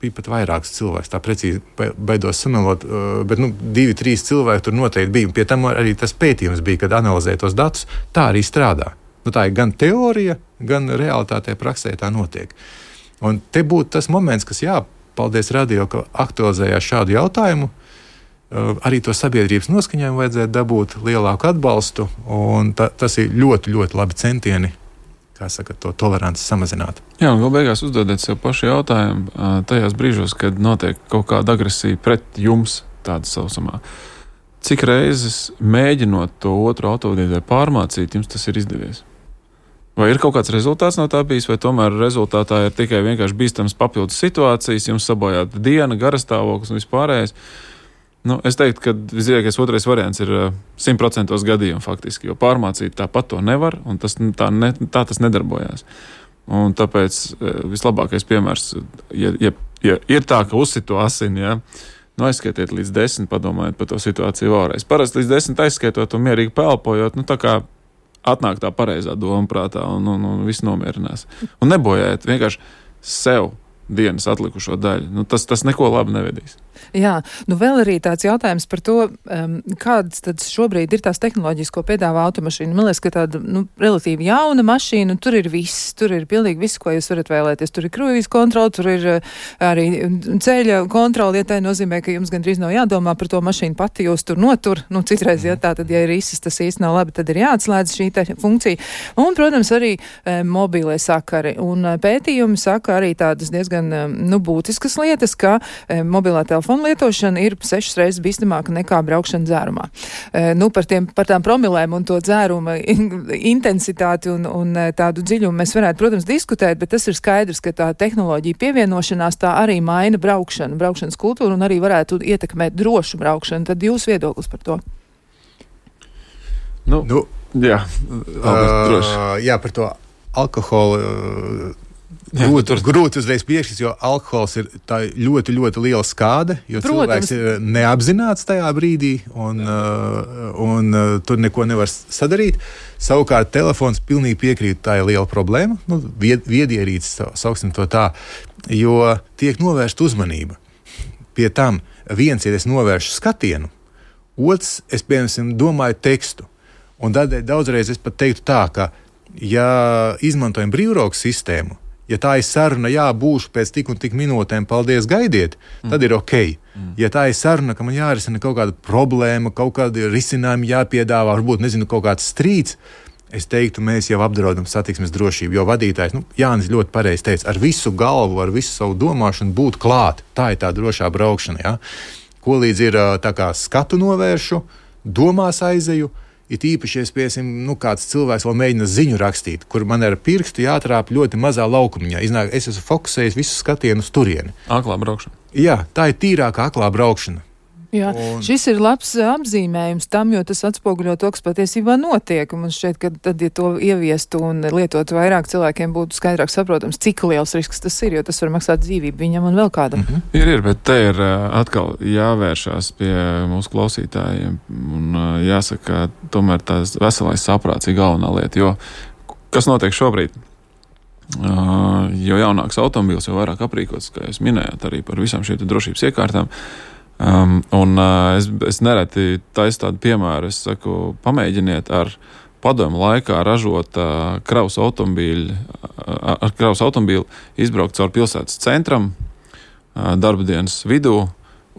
bija pat vairāks cilvēks, tā precīzi baidos samelot, bet nu, divi, trīs cilvēki tur noteikti bija. Pie tam arī tas pētījums bija, kad analizēja tos datus, tā arī strādā. Nu, tā ir gan teorija, gan realitātē praksē tā notiek. Un te būtu tas moments, kas jā, paldies radio, ka aktualizējās šādu jautājumu. Arī to sabiedrības noskaņojumu vajadzētu dabūt lielāku atbalstu, un ta, tas ir ļoti, ļoti labi centieni, kā saka, to toleranci samazināt. Jā, un vēl beigās uzdodiet sev pašu jautājumu tajās brīžos, kad notiek kaut kāda agresija pret jums, tāda sausamā. Cik reizes mēģinot to otru autovadītāju pārmācīt, jums tas ir izdevies? Vai ir kaut kāds rezultāts no tā bijis, vai tomēr rezultātā ir tikai vienkārši bīstams papildus situācijas, jums sabojāta diena, garastāvoklis un vispārējais? Nu, es teiktu, ka visdrīzākais otrais variants ir simt procentos gadījumu faktiski, jo pārmācīt tāpat to nevar, un tas, tā, ne, tā tas nedarbojās. Un tāpēc vislabākais piemērs, ja, ja, ja ir tā, ka uzsito asini, ja, nu aizskaitiet līdz desmit, padomājiet par to situāciju vēlreiz. Parasti līdz desmit aizskaitot un mierīgi pelpojot, nu tā kā atnāk tā pareizā doma prātā un, un, un viss nomierinās. Un nebojājiet vienkārši sev dienas atlikušo daļu. Nu, tas, tas neko labi nevedīs. Jā, nu vēl arī tāds jautājums par to, um, kādas tad šobrīd ir tās tehnoloģijas, ko piedāvā automašīna. Man liekas, ka tāda, nu, relatīvi jauna mašīna, tur ir viss, tur ir pilnīgi viss, ko jūs varat vēlēties. Tur ir kruīzes kontrole, tur ir arī ceļa kontrole, ja tā nozīmē, ka jums gandrīz nav jādomā par to mašīnu pati, jūs tur notur. Nu, citreiz, ja tā tad, ja ir īsis, tas īsti nav labi, tad ir jāatslēdz šī te funkcija. Un, protams, arī e, mobīlie sakari. Un pētījumi saka arī tādas diezgan, nu, būtiskas lietas, ka e, mobilā telefona lietošana ir sešas reizes bīstamāka nekā braukšana dzērumā. E, nu, par, tiem, par tām promilēm un to dzēruma intensitāti un, un tādu dziļumu mēs varētu, protams, diskutēt, bet tas ir skaidrs, ka tā tehnoloģija pievienošanās tā arī maina braukšanu, braukšanas kultūru un arī varētu ietekmēt drošu braukšanu. Tad jūs viedoklis par to? Nu, nu jā, uh, jā, par to alkoholu. Uh, Grūti, tur... grūti uzreiz piešķirt, jo alkohols ir ļoti, ļoti liela skāde, jo Protams. Cilvēks ir neapzināts tajā brīdī un, uh, un uh, tur neko nevar sadarīt. Savukārt telefons pilnīgi piekrīt, tā ir liela problēma, nu, vied, viedierīces, sauksim to tā, jo tiek novērsta uzmanība. Pie tam viens, ja es novēršu skatienu, otrs, es, piemēram, domāju tekstu. Un tādēļ daudzreiz es pat teiktu tā, ka, ja izmantojam brīvrokas sistēmu, Ja tā ir saruna, jā, būšu pēc tik un tik minūtēm, paldies, gaidiet, mm. tad ir ok. Mm. Ja tā ir saruna, ka man jārisina kaut kāda problēma, kaut kādi risinājumi jāpiedāvā, varbūt, nezinu, kaut kāds strīds, es teiktu, mēs jau apdraudam satiksmes drošību, jo vadītājs, nu, Jānis ļoti pareizi teica, ar visu galvu, ar visu savu domāšanu būt klāt. Tā ir tā drošā braukšana, jā. Ko līdz ir tā kā skatu novēršu, domās aizeju, it īpaši, ja piesim, nu, kāds cilvēks vēl mēģina ziņu rakstīt, kur man ar pirkstu jātrāp ļoti mazā laukumiņā. Iznāk, es esmu fokusējis visu skatienu uz turieni. Aklā braukšana. Jā, tā ir tīrākā aklā braukšana. Jā, un... šis ir labs apzīmējums tam, jo tas atspoguļo to, kas patiesībā notiek. Un man šķiet, ka tad, ja to ieviestu un lietot vairāk, cilvēkiem būtu skaidrāk saprotams, cik liels risks tas ir, jo tas var maksāt dzīvību viņam un vēl kādam. Mm-hmm. Ir, ir, bet te ir atkal jāvēršās pie mūsu klausītājiem un jāsaka, tomēr tās veselais saprāts ir galvenā lieta, jo kas notiek šobrīd? Uh, jo jaunāks automobils, jo vairāk aprīkots, kā jūs minējāt, arī par visām šīm drošības iekārtām. Um, un uh, es, es nereti taisu tādu piemēru, es saku, pamēģiniet ar padomu laikā ražot uh, kravas automobīļu, uh, ar kravas automobīlu izbraukt caur pilsētas centram, uh, darba dienas vidū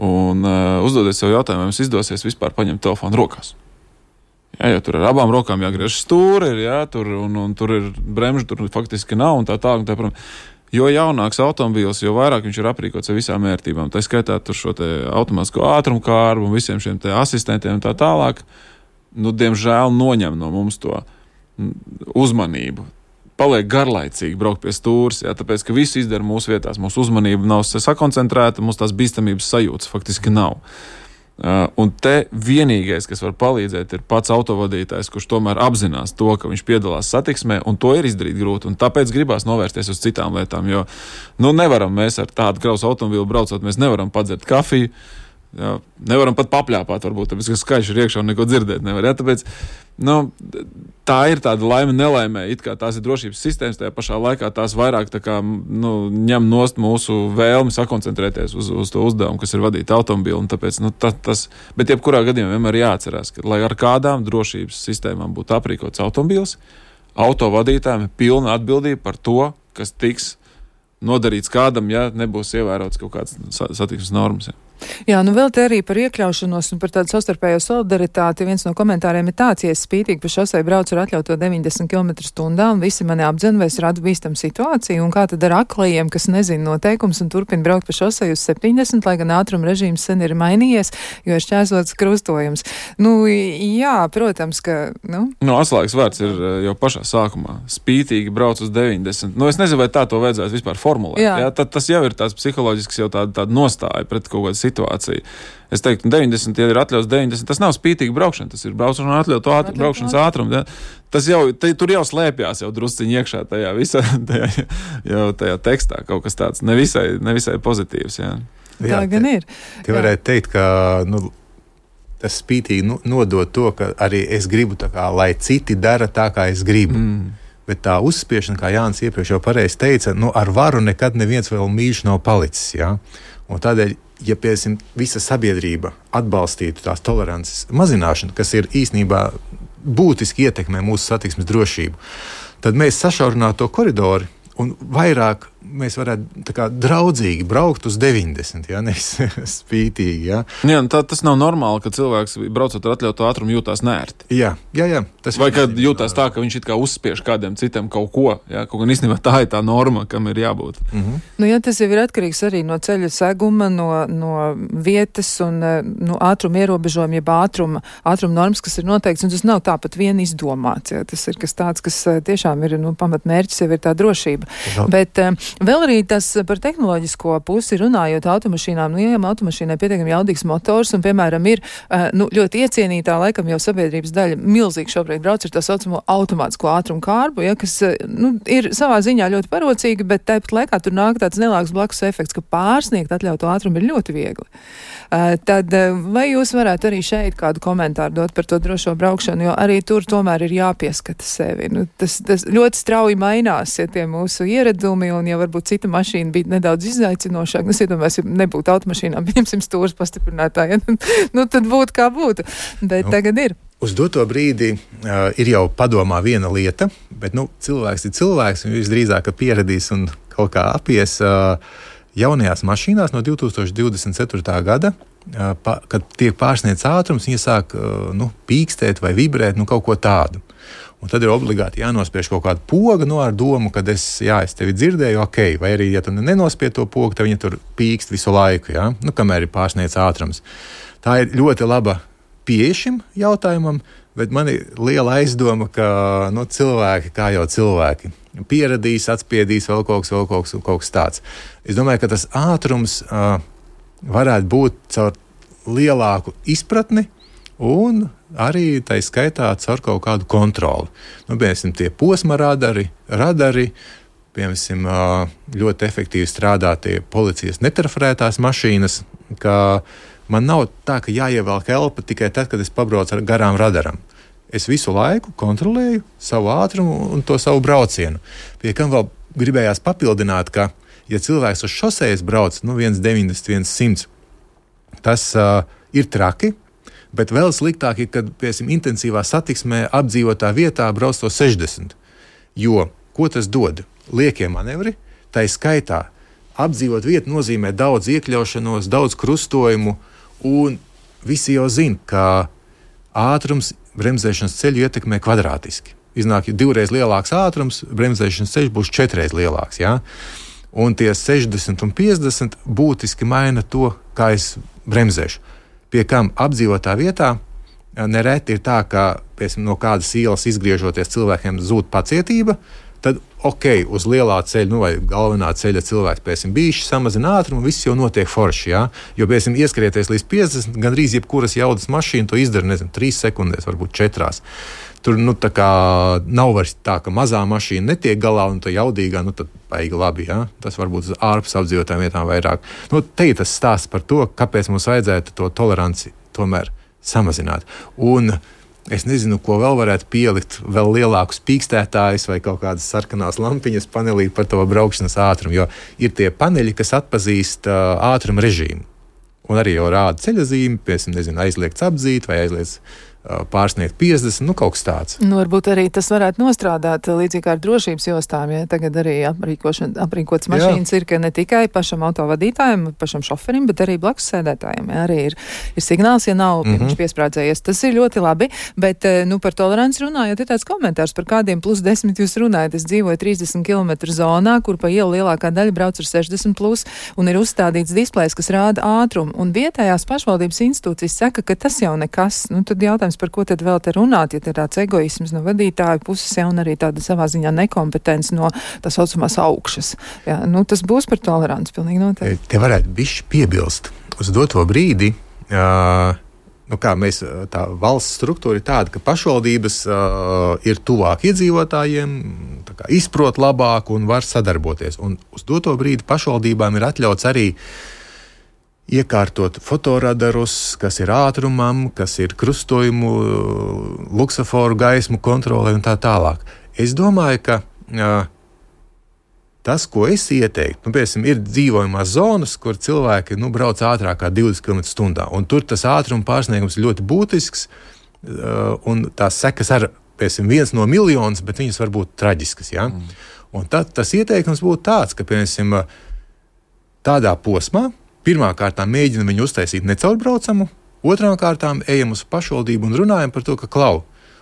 un uh, uzdodiet sev jautājumu, vai jums izdosies vispār paņemt telefonu rokās. Jā, jo tur ar abām rokām jāgriež stūri, jā, tur, un, un tur ir bremžu, tur faktiski nav un tā tā, un tā, protams. Jo jaunāks automobīls, jo vairāk viņš ir aprīkots ar visām vērtībām. Tā skaitā tur šo te automātisko ātrumkārbu un visiem šiem te asistentiem un tā tālāk, nu, diemžēl noņem no mums to uzmanību. Paliek garlaicīgi braukt pie stūres, jā, tāpēc, ka visu izdara mūsu vietās. Mūsu uzmanība nav sakoncentrēta, mums tās bīstamības sajūtas faktiski nav. Uh, un te vienīgais, kas var palīdzēt, ir pats autovadītājs, kurš tomēr apzinās to, ka viņš piedalās satiksmē, un to ir izdarīt grūti, un tāpēc gribās novērsties uz citām lietām, jo, nu, nevaram mēs ar tādu kravas automobīlu braucot, mēs nevaram padzert kafiju, jā, nevaram pat papļāpāt, varbūt, tāpēc, ka skaļš ir iekšā un neko dzirdēt nevar, jā, tāpēc, nu, tā ir tāda laime nelaimē, it kā tās ir drošības sistēmas, tajā pašā laikā tās vairāk tā kā, nu, ņem nost mūsu vēlmi sakoncentrēties uz, uz to uzdevumu, kas ir vadīt automobīlu, un tāpēc, nu, tas, tas, bet jebkurā gadījumā vienmēr jāatcerās, ka, lai ar kādām drošības sistēmām būtu aprīkots automobīls, autovadītājiem ir pilna atbildība par to, kas tiks nodarīts kādam, ja nebūs ievērots kaut kāds satiksmes normas, ja. Jā, nu vēl te arī par iekļaušanos un par tādu savstarpējo solidaritāti. Viens no komentāriem ir tāds, ja es spītīgi pa šosei braucu ar atļauto deviņdesmit kilometru stundā un visi mani apdzen, vai es radu bīstam situāciju, un kā tad ar aklajiem, kas nezina noteikums un turpina braukt pa šosei uz septiņdesmit, lai gan ātruma režīms sen ir mainījies, jo ir šķērsots krustojums. Nu, jā, protams, ka, nu. Nu, atslēgas vārds ir jau pašā sākumā. Spītīgi brauc uz deviņdesmit. Nu, es nezinu, vai tā to vajadzētu vispār formulēt. Jā. Jā, tad, tas jau ir tāds psiholoģisks jau tāda, tāda nostāja pret kaut kādu situāciju. Es teiktu, deviņdesmit, ja ir atļauts deviņdesmit, tas nav spītīga braukšana, tas ir braukšana ar atļautu ātru, braukšanas ātrumu. Ja? Tas jau, te, tur jau slēpjās jau drusciņi iekšā tajā visā, tajā, jau tajā tekstā kaut kas tāds nevisai, nevisai pozitīvs. Ja? Jā, tā gan ir. Te varētu teikt, ka, nu, tas spītīgi nu, nodot to, ka arī es gribu tā kā, lai citi dara tā, kā es gribu. Mm. Bet tā uzspiešana, kā Jānis iepriekš jau pareizi teica, nu, ar varu nekad neviens vēl mīļš nav palicis. Ja? Un tādēļ, ja piesim, visa sabiedrība atbalstītu tās tolerances mazināšanu, kas ir īstenībā būtiski ietekmē mūsu satiksmes drošību, tad mēs sašaurinātu to koridoru un vairāk mēs varētu tā kā draudzīgi braukt uz deviņdesmit, ja, nevis spītīgi. Ja. Jā, tā, tas nav normāli, ka cilvēks braucot ar atļautu ātrumu jūtās nērti. Jā, jā, jā. Tas vai kad jūtās tā, ka viņš it kā uzspiež kādiem citiem kaut ko, ja, kaut gan īstenībā tā ir tā norma, kam ir jābūt. Mm-hmm. Nu, jā, tas jau ir atkarīgs arī no ceļa seguma, no, no vietas un no ātruma ierobežojuma, jeb ātruma, ātruma normas, kas ir noteikts, un tas nav tāpat vien izdomāts. Ja. Tas ir kas tāds, kas tiešām ir, nu, pamatmērķis jau ir tā drošība. Jā. Bet vēl arī tas par tehnoloģisko pusi runājot automašīnām, nu, ja automašīnai pietiekami jaudīgs motors un, piemēram, ir nu, ļoti iecienītā, laikam jau sabiedrības daļa milzīgi šobrīd brauc ar tā saucamo automātisko ātrumu kārbu, ja, kas nu, ir savā ziņā ļoti parocīga, bet tāpat laikā tur nāk tāds nelāks blakus efekts, ka pārsniegt atļautu ātrumu ir ļoti viegli. Uh, tad vai jūs varētu arī šeit kādu komentāru dot par to drošo braukšanu, jo arī tur tomēr ir jāpieskata sevi. Nu, tas, tas ļoti strauji mainās, ja tie mūsu ieradumi, un ja varbūt cita mašīna bija nedaudz izaicinošāk, nu, iedomājos, ja nebūtu automašīnām, pieņemsim stūras pastiprinātāji, ja, nu, tad būtu kā būtu, bet nu, tagad ir. Uz doto brīdi uh, ir jau padomā viena lieta, bet nu, cilvēks ir cilvēks, un viņš drīzāk pieradīs un kaut kā apies uh, jaunajās mašīnās no divi tūkstoši divdesmit ceturtā gada, uh, pa, kad tiek pārsniegts ātrums, viņi sāk uh, nu, pīkstēt vai vibrēt, nu kaut ko tādu. Un tad ir obligāti jānospiež kaut kāda poga, no ar domu, ka es, jā, es tevi dzirdēju, ok, vai arī, ja tu nenospiež to pogu, tad viņa tur pīkst visu laiku, jā, nu, kamēr ir pārsniegts ātrums. Tā ir ļoti laba pieeja šim jautājumam, bet man ir liela aizdoma, ka nu, cilvēki, kā jau cilvēki, pieradīs, atspiedīs vēl kaut kas, vēl kaut kas, kaut kas tāds. Es domāju, ka tas ātrums uh, varētu būt caur lielāku izpratni un arī tai skaitā caur kaut kādu kontroli. Nu, piemēram, tie posma radari, radari, piemēram, ļoti efektīvi strādā tie policijas netrafarētās mašīnas, ka man nav tā, ka jāievelk elpa tikai tad, kad es pabraucu ar garām radaram. Es visu laiku kontrolēju savu ātrumu un to savu braucienu. Pie kam vēl gribējās papildināt, ka, ja cilvēks uz šosejas brauc, nu, viens deviņdesmit, viens simts, tas uh, ir traki, bet vēl sliktāk ir, kad, piemēram, intensīvā satiksmē apdzīvotā vietā brauc to sešdesmit. Jo, ko tas dod? Liekie manevri, tai skaitā apdzīvot vietu nozīmē daudz iekļaušanos, daudz krustojumu, un visi jau zina, ka ātrums bremzēšanas ceļu ietekmē kvadrātiski. Iznāk, ja divreiz lielāks ātrums, bremzēšanas ceļš būs četreiz lielāks, jā? Un tie sešdesmit un piecdesmit būtiski maina to, kā es bremzēšu. Pie kam apdzīvotā vietā nereti ir tā, ka piemēram, no kādas ielas izgriežoties cilvēkiem zūd pacietība, tad ok, uz lielā ceļa, nu vai galvenā ceļa cilvēks, piemēram, bišķi samazina ātrumu, viss jau notiek forši, jā? Jo, piemēram, ieskrieties līdz piecdesmit, gandrīz jebkuras jaudas mašīna to izdara, nezinu, trīs sekundēs, varbūt četrās. Tur, nu, tā kā nav vairs tā, ka mazā mašīna netiek galā un tā jaudīgā, nu, tad baigi labi, jā? Tas varbūt uz ārpus apdzīvotām vietām vairāk. Nu, te ir tas stāsts par to, kāpēc mums vajadzētu to toleranci tomēr samazināt. Un es nezinu, ko vēl varētu pielikt, vēl lielākus pīkstētājus vai kaut kādas sarkanās lampiņas panelī par to braukšanas ātrumu, jo ir tie paneļi, kas atpazīst uh, ātruma režīmu. Un arī jau rāda ceļazīmi, piemēram, nezinu, aizliegts apdzīt vai aizliegts pārsniegt piecdesmit, nu kaut kas tāds. Nu, varbūt arī tas varētu nostrādāt līdzīgi kā ar drošības jostām, ja tagad arī aprīkotas mašīnas Jā. Ir, ka ne tikai pašam autovadītājiem, pašam šoferim, bet arī blakus sēdētājiem. Ja, arī ir, ir signāls, ja nav mm-hmm. piesprādzējies. Tas ir ļoti labi, bet, nu, par toleranci runājot, ir tāds komentārs, par kādiem plus desmit jūs runājat. Es dzīvoju trīsdesmit kilometru zonā, kur pa ielu lielākā daļa brauc ar sešdesmit plus, un ir uzstādīts displejs, kas rāda ātrumu, un vietējās pašvaldības institūcijas saka, ka tas jau nekas. Nu, tad jautājums, par ko tad vēl te runāt, ja te ir tāds egoisms no vadītāju puses, ja, un arī tāda savā ziņā nekompetence no tā saucamās augšas. Ja, nu, tas būs par toleranci, pilnīgi noteikti. Te varētu bišķi piebilst. Uz doto brīdi, uh, nu kā mēs, tā valsts struktūra ir tāda, ka pašvaldības uh, ir tuvāk iedzīvotājiem, tā kā izprot labāk un var sadarboties. Un uz doto brīdi pašvaldībām ir atļauts arī iekārtot fotoradarus, kas ir ātrumam, kas ir krustojumu, luksaforu gaismu kontrolē un tā tālāk. Es domāju, ka uh, tas, ko es ieteiktu, nu, piemēram, ir dzīvojamās zonas, kur cilvēki nu, brauc ātrāk kā divdesmit kilometrus stundā, un tur tas ātruma pārsniegums ir ļoti būtisks, uh, un tās sekas ar, piemēram, viens no miljonus, bet viņas var būt traģiskas. Ja? Mm. Un tad tas ieteikums būtu tāds, ka, piemēram, tādā posmā, pirmā kārtā mēģina viņu uztaisīt necaurbraucamu, otrām kārtām ejam uz pašvaldību un runājam par to, ka klau,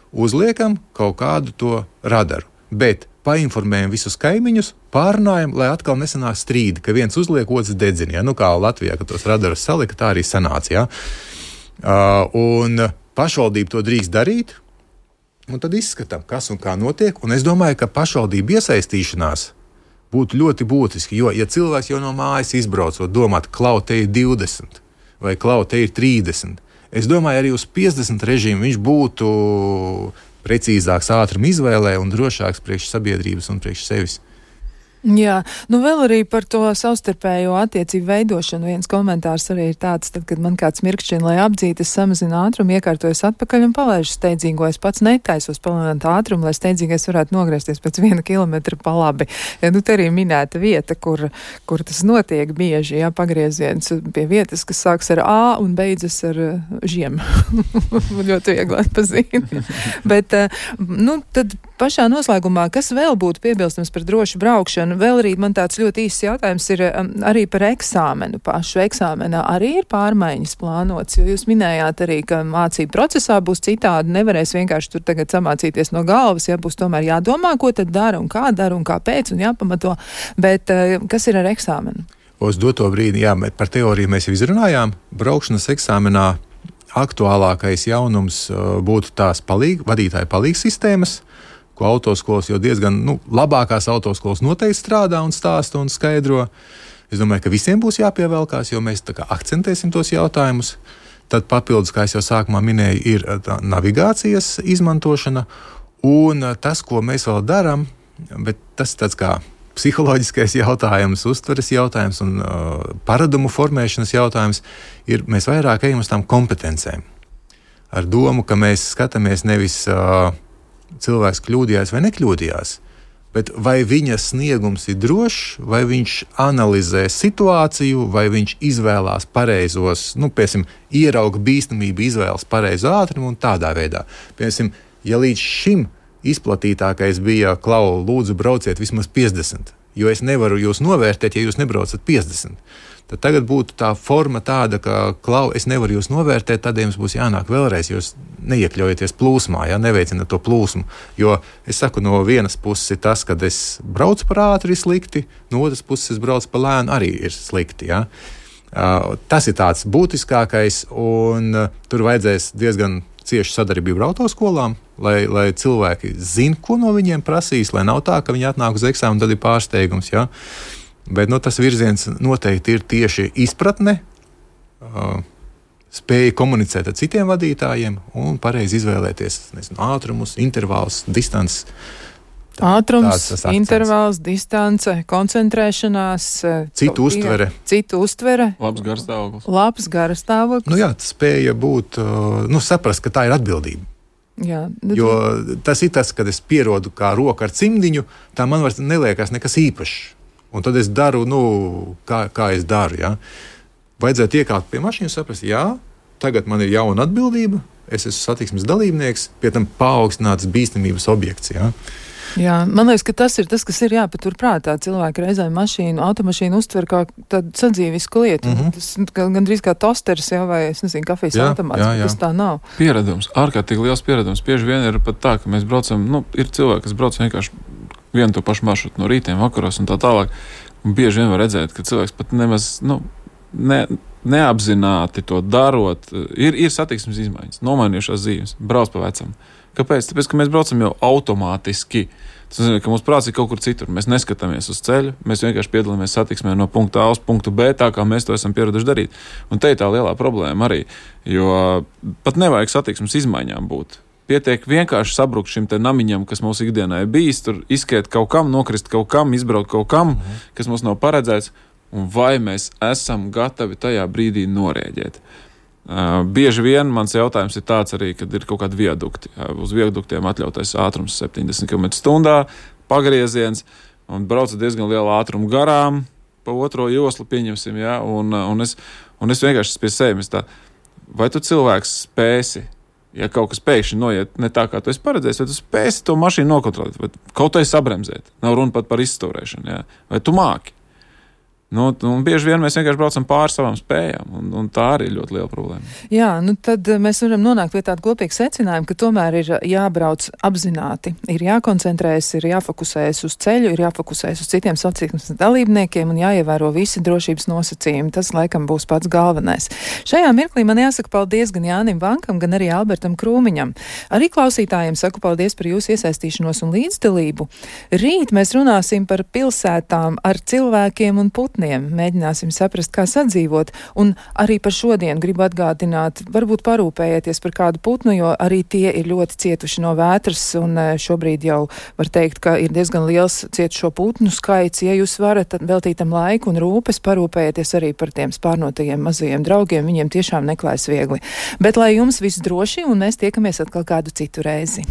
uzliekam kaut kādu to radaru, bet painformējam visus kaimiņus, pārunājam, lai atkal nesanāk strīdi, ka viens uzliek, otrs dedzina. Ja? Nu kā Latvijā, kad tos radarus salika, tā arī sanāca. Ja? Uh, un pašvaldība to drīkst darīt, un tad izskatām, kas un kā notiek, un es domāju, ka pašvaldība iesaistīšanās būtu ļoti būtiski, jo, ja cilvēks jau no mājas izbraucot, domāt, klau, te ir divdesmit vai klau, te ir trīsdesmit, es domāju, arī uz piecdesmit režīmu viņš būtu precīzāks ātruma izvēlē un drošāks priekš sabiedrības un priekš sevis. Jā, nu vēl arī par to savstarpējo attiecību veidošanu. Viens komentārs arī ir tāds, tad, kad man kāds mirkšķina, lai apdzītu, es samazinu ātrumu, iekārtojos atpakaļ un palaižu steidzīgo. Es pats netaisos palielināt ātrumu, lai steidzīgais varētu nogriezties pēc viena kilometra pa labi. Ja, nu, te arī minēta vieta, kur, kur tas notiek bieži, jā, pagrieziens pie vietas, kas sāks ar A un beidzas ar žiem. Ļoti viegli atpazīt. Bet, nu, tad pašā noslēgumā, kas vēl būtu piebilstams par drošu braukšanu? Vēl arī man tāds ļoti īsts jautājums ir um, arī par eksāmenu pašu. Eksāmenā arī ir pārmaiņas plānots, jo jūs minējāt arī, ka mācību procesā būs citādi, nevarēs vienkārši tur tagad samācīties no galvas, ja būs tomēr jādomā, ko tad dara un kā dara un kāpēc un jāpamato, bet uh, kas ir ar eksāmenu? Uz doto brīdi, jā, par teoriju mēs jau izrunājām. Braukšanas eksāmenā aktuālākais jaunums uh, būtu tās palīg, vadītāja palīgs sistēmas, ko autoskolas jau diezgan, nu, labākās autoskolas noteikti strādā un stāsta un skaidro. Es domāju, ka visiem būs jāpievelkās, jo mēs tā kā akcentēsim tos jautājumus. Tad papildus, kā es jau sākumā minēju, ir tā navigācijas izmantošana un tas, ko mēs vēl darām, bet tas tāds kā psiholoģiskais jautājums, uztveres jautājums un uh, paradumu formēšanas jautājums ir, mēs vairāk ejam uz tām kompetencēm. Ar domu, ka mēs skatāmies nevis uh, cilvēks kļūdījās vai nekļūdījās, bet vai viņa sniegums ir drošs, vai viņš analizē situāciju, vai viņš izvēlās pareizos, nu, piemēram, ierauga bīstamību, izvēlas pareizu ātrumu un tādā veidā. Piemēram, ja līdz šim izplatītākais bija, Klau, lūdzu brauciet vismaz piecdesmit, jo es nevaru jūs novērtēt, ja jūs nebraucat piecdesmit. Tad tagad būtu tā forma tāda, ka, Klau, es nevaru jūs novērtēt, tad jums būs jānāk vēlreiz, jūs neiekļaujaties plūsmā, ja, neveicināt to plūsmu. Jo es saku, no vienas puses ir tas, kad es braucu par ātri ir slikti, no otras puses es braucu par lēnu arī ir slikti. Ja. Uh, tas ir tāds būtiskākais, un uh, tur vajadzēs diezgan cieši sadarbību ar autoskolām, lai, lai cilvēki zina, ko no viņiem prasīs, lai nav tā, ka viņi atnāk uz eksāmenu, tad ir pārsteigums. Ja. Bet nu, tas virziens noteikti ir tieši izpratne, uh, spēja komunicēt ar citiem vadītājiem un pareizi izvēlēties nezinu, ātrumus, intervālus, distances. Ātrums, intervāls, distance, koncentrēšanās, citu uztvere. Citu uztvere. Labs garstāvoklis. Labs garstāvoklis. Nu jā, spēja būt, uh, nu saprast, ka tā ir atbildība. Jā, jo tas ir tas, kad es pierodu kā roku ar cimdiņu, tā man vairs neliekas nekas īpašs. Un tad es daru, nu, kā, kā es daru. Ja? Vajadzētu iekāpt pie mašīnas, saprast, jā, tagad man ir jauna atbildība, es esmu satiksmes dalībnieks, pie tam paaugstināts bīstamības objekts. Ja? Jā, man liekas, ka tas ir tas, kas ir jāpatur prātā. Cilvēki reizēm mašīnu, automašīnu uztver kā tādu sadzīvisku lietu. Mm -hmm. Tas gandrīz kā tosteris jau vai, es nezinu, kafijas jā, automāts, jā, jā. Tas tā nav. Pieredums, ārkārtīgi liels pieredums. Bieži vien ir pat tā, ka mēs braucam, nu, ir cilvēki, kas brauc vienkārši vienu to pašu maršrutu no rītiem, vakaros un tā tālāk. Un bieži vien var redzēt, ka cilvēks pat nemaz, nu, ne, neapzināti to darot. Ir, ir satiksmes izmaiņas, nomainījušās dzīves, brauc pa vecam. Kāpēc? Tāpēc, ka mēs braucam jau automātiski. Tas nozīmē, ka mūsu prāts ir kaut kur citur. Mēs neskatāmies uz ceļu, mēs vienkārši piedalāmies satiksmē no punkta A uz punktu B, tā kā mēs to esam pieraduši darīt. Un te ir tā lielā problēma arī, jo pat nevajag satiksmes izmaiņām būt. Pietiek vienkārši sabrukt šim te namiņam, kas mūsu ikdienā ir bijis, tur izskriet kaut kam, nokrist kaut kam, izbraukt kaut kam, mm -hmm. kas mums nav paredzēts, un vai mēs esam gatavi tajā brīdī norēģēt. Uh, bieži vien mans jautājums ir tāds arī, kad ir kaut kādi viadukti. Uh, uz viaduktiem atļautais ātrums septiņdesmit kilometru stundā, pagrieziens, un brauca diezgan lielu ātrumu garām, pa otro joslu pieņemsim, ja, un, un, es, un es vienkārši pie sevis tā, vai tu cilvēks spēsi, ja kaut kas pēkšņi noiet ne tā, kā tu esi paredzējis, vai tu spēsi to mašīnu nokontrolēt, vai kaut vai sabremzēt, nav runa pat par izstūrēšanu, ja, vai tu māki. Nu, un bieži vien mēs vienkārši braucam pāri savām spējām, un, un tā arī ir ļoti liela problēma. Jā, nu tad mēs varam nonākt pie tāda kopīga secinājuma, ka tomēr ir jābrauc apzināti, ir jākoncentrējas, ir jāfokusējas uz ceļu, ir jāfokusējas uz citiem satiksmes dalībniekiem un jāievēro visi drošības nosacījumi. Tas, laikam, būs pats galvenais. Šajā mirklī man jāsaka paldies gan Jānim Vankam, gan arī Albertam Krūmiņam. Arī klausītājiem saku paldies par jūsu iesaistīšanos un līdzdalību. Rīt mēs runāsim par pilsētām ar cilvēkiem un putniem. putniem. Mēģināsim saprast, kā sadzīvot. Un arī par šodienu gribu atgādināt, varbūt parūpējieties par kādu putnu, jo arī tie ir ļoti cietuši no vētras, un šobrīd jau var teikt, ka ir diezgan liels cietušo putnu skaits. Ja jūs varat veltīt tam laiku un rūpes, parūpējieties arī par tiem spārnotajiem mazajiem draugiem, viņiem tiešām neklājas viegli. Bet lai jums viss droši, un mēs tiekamies atkal kādu citu reizi.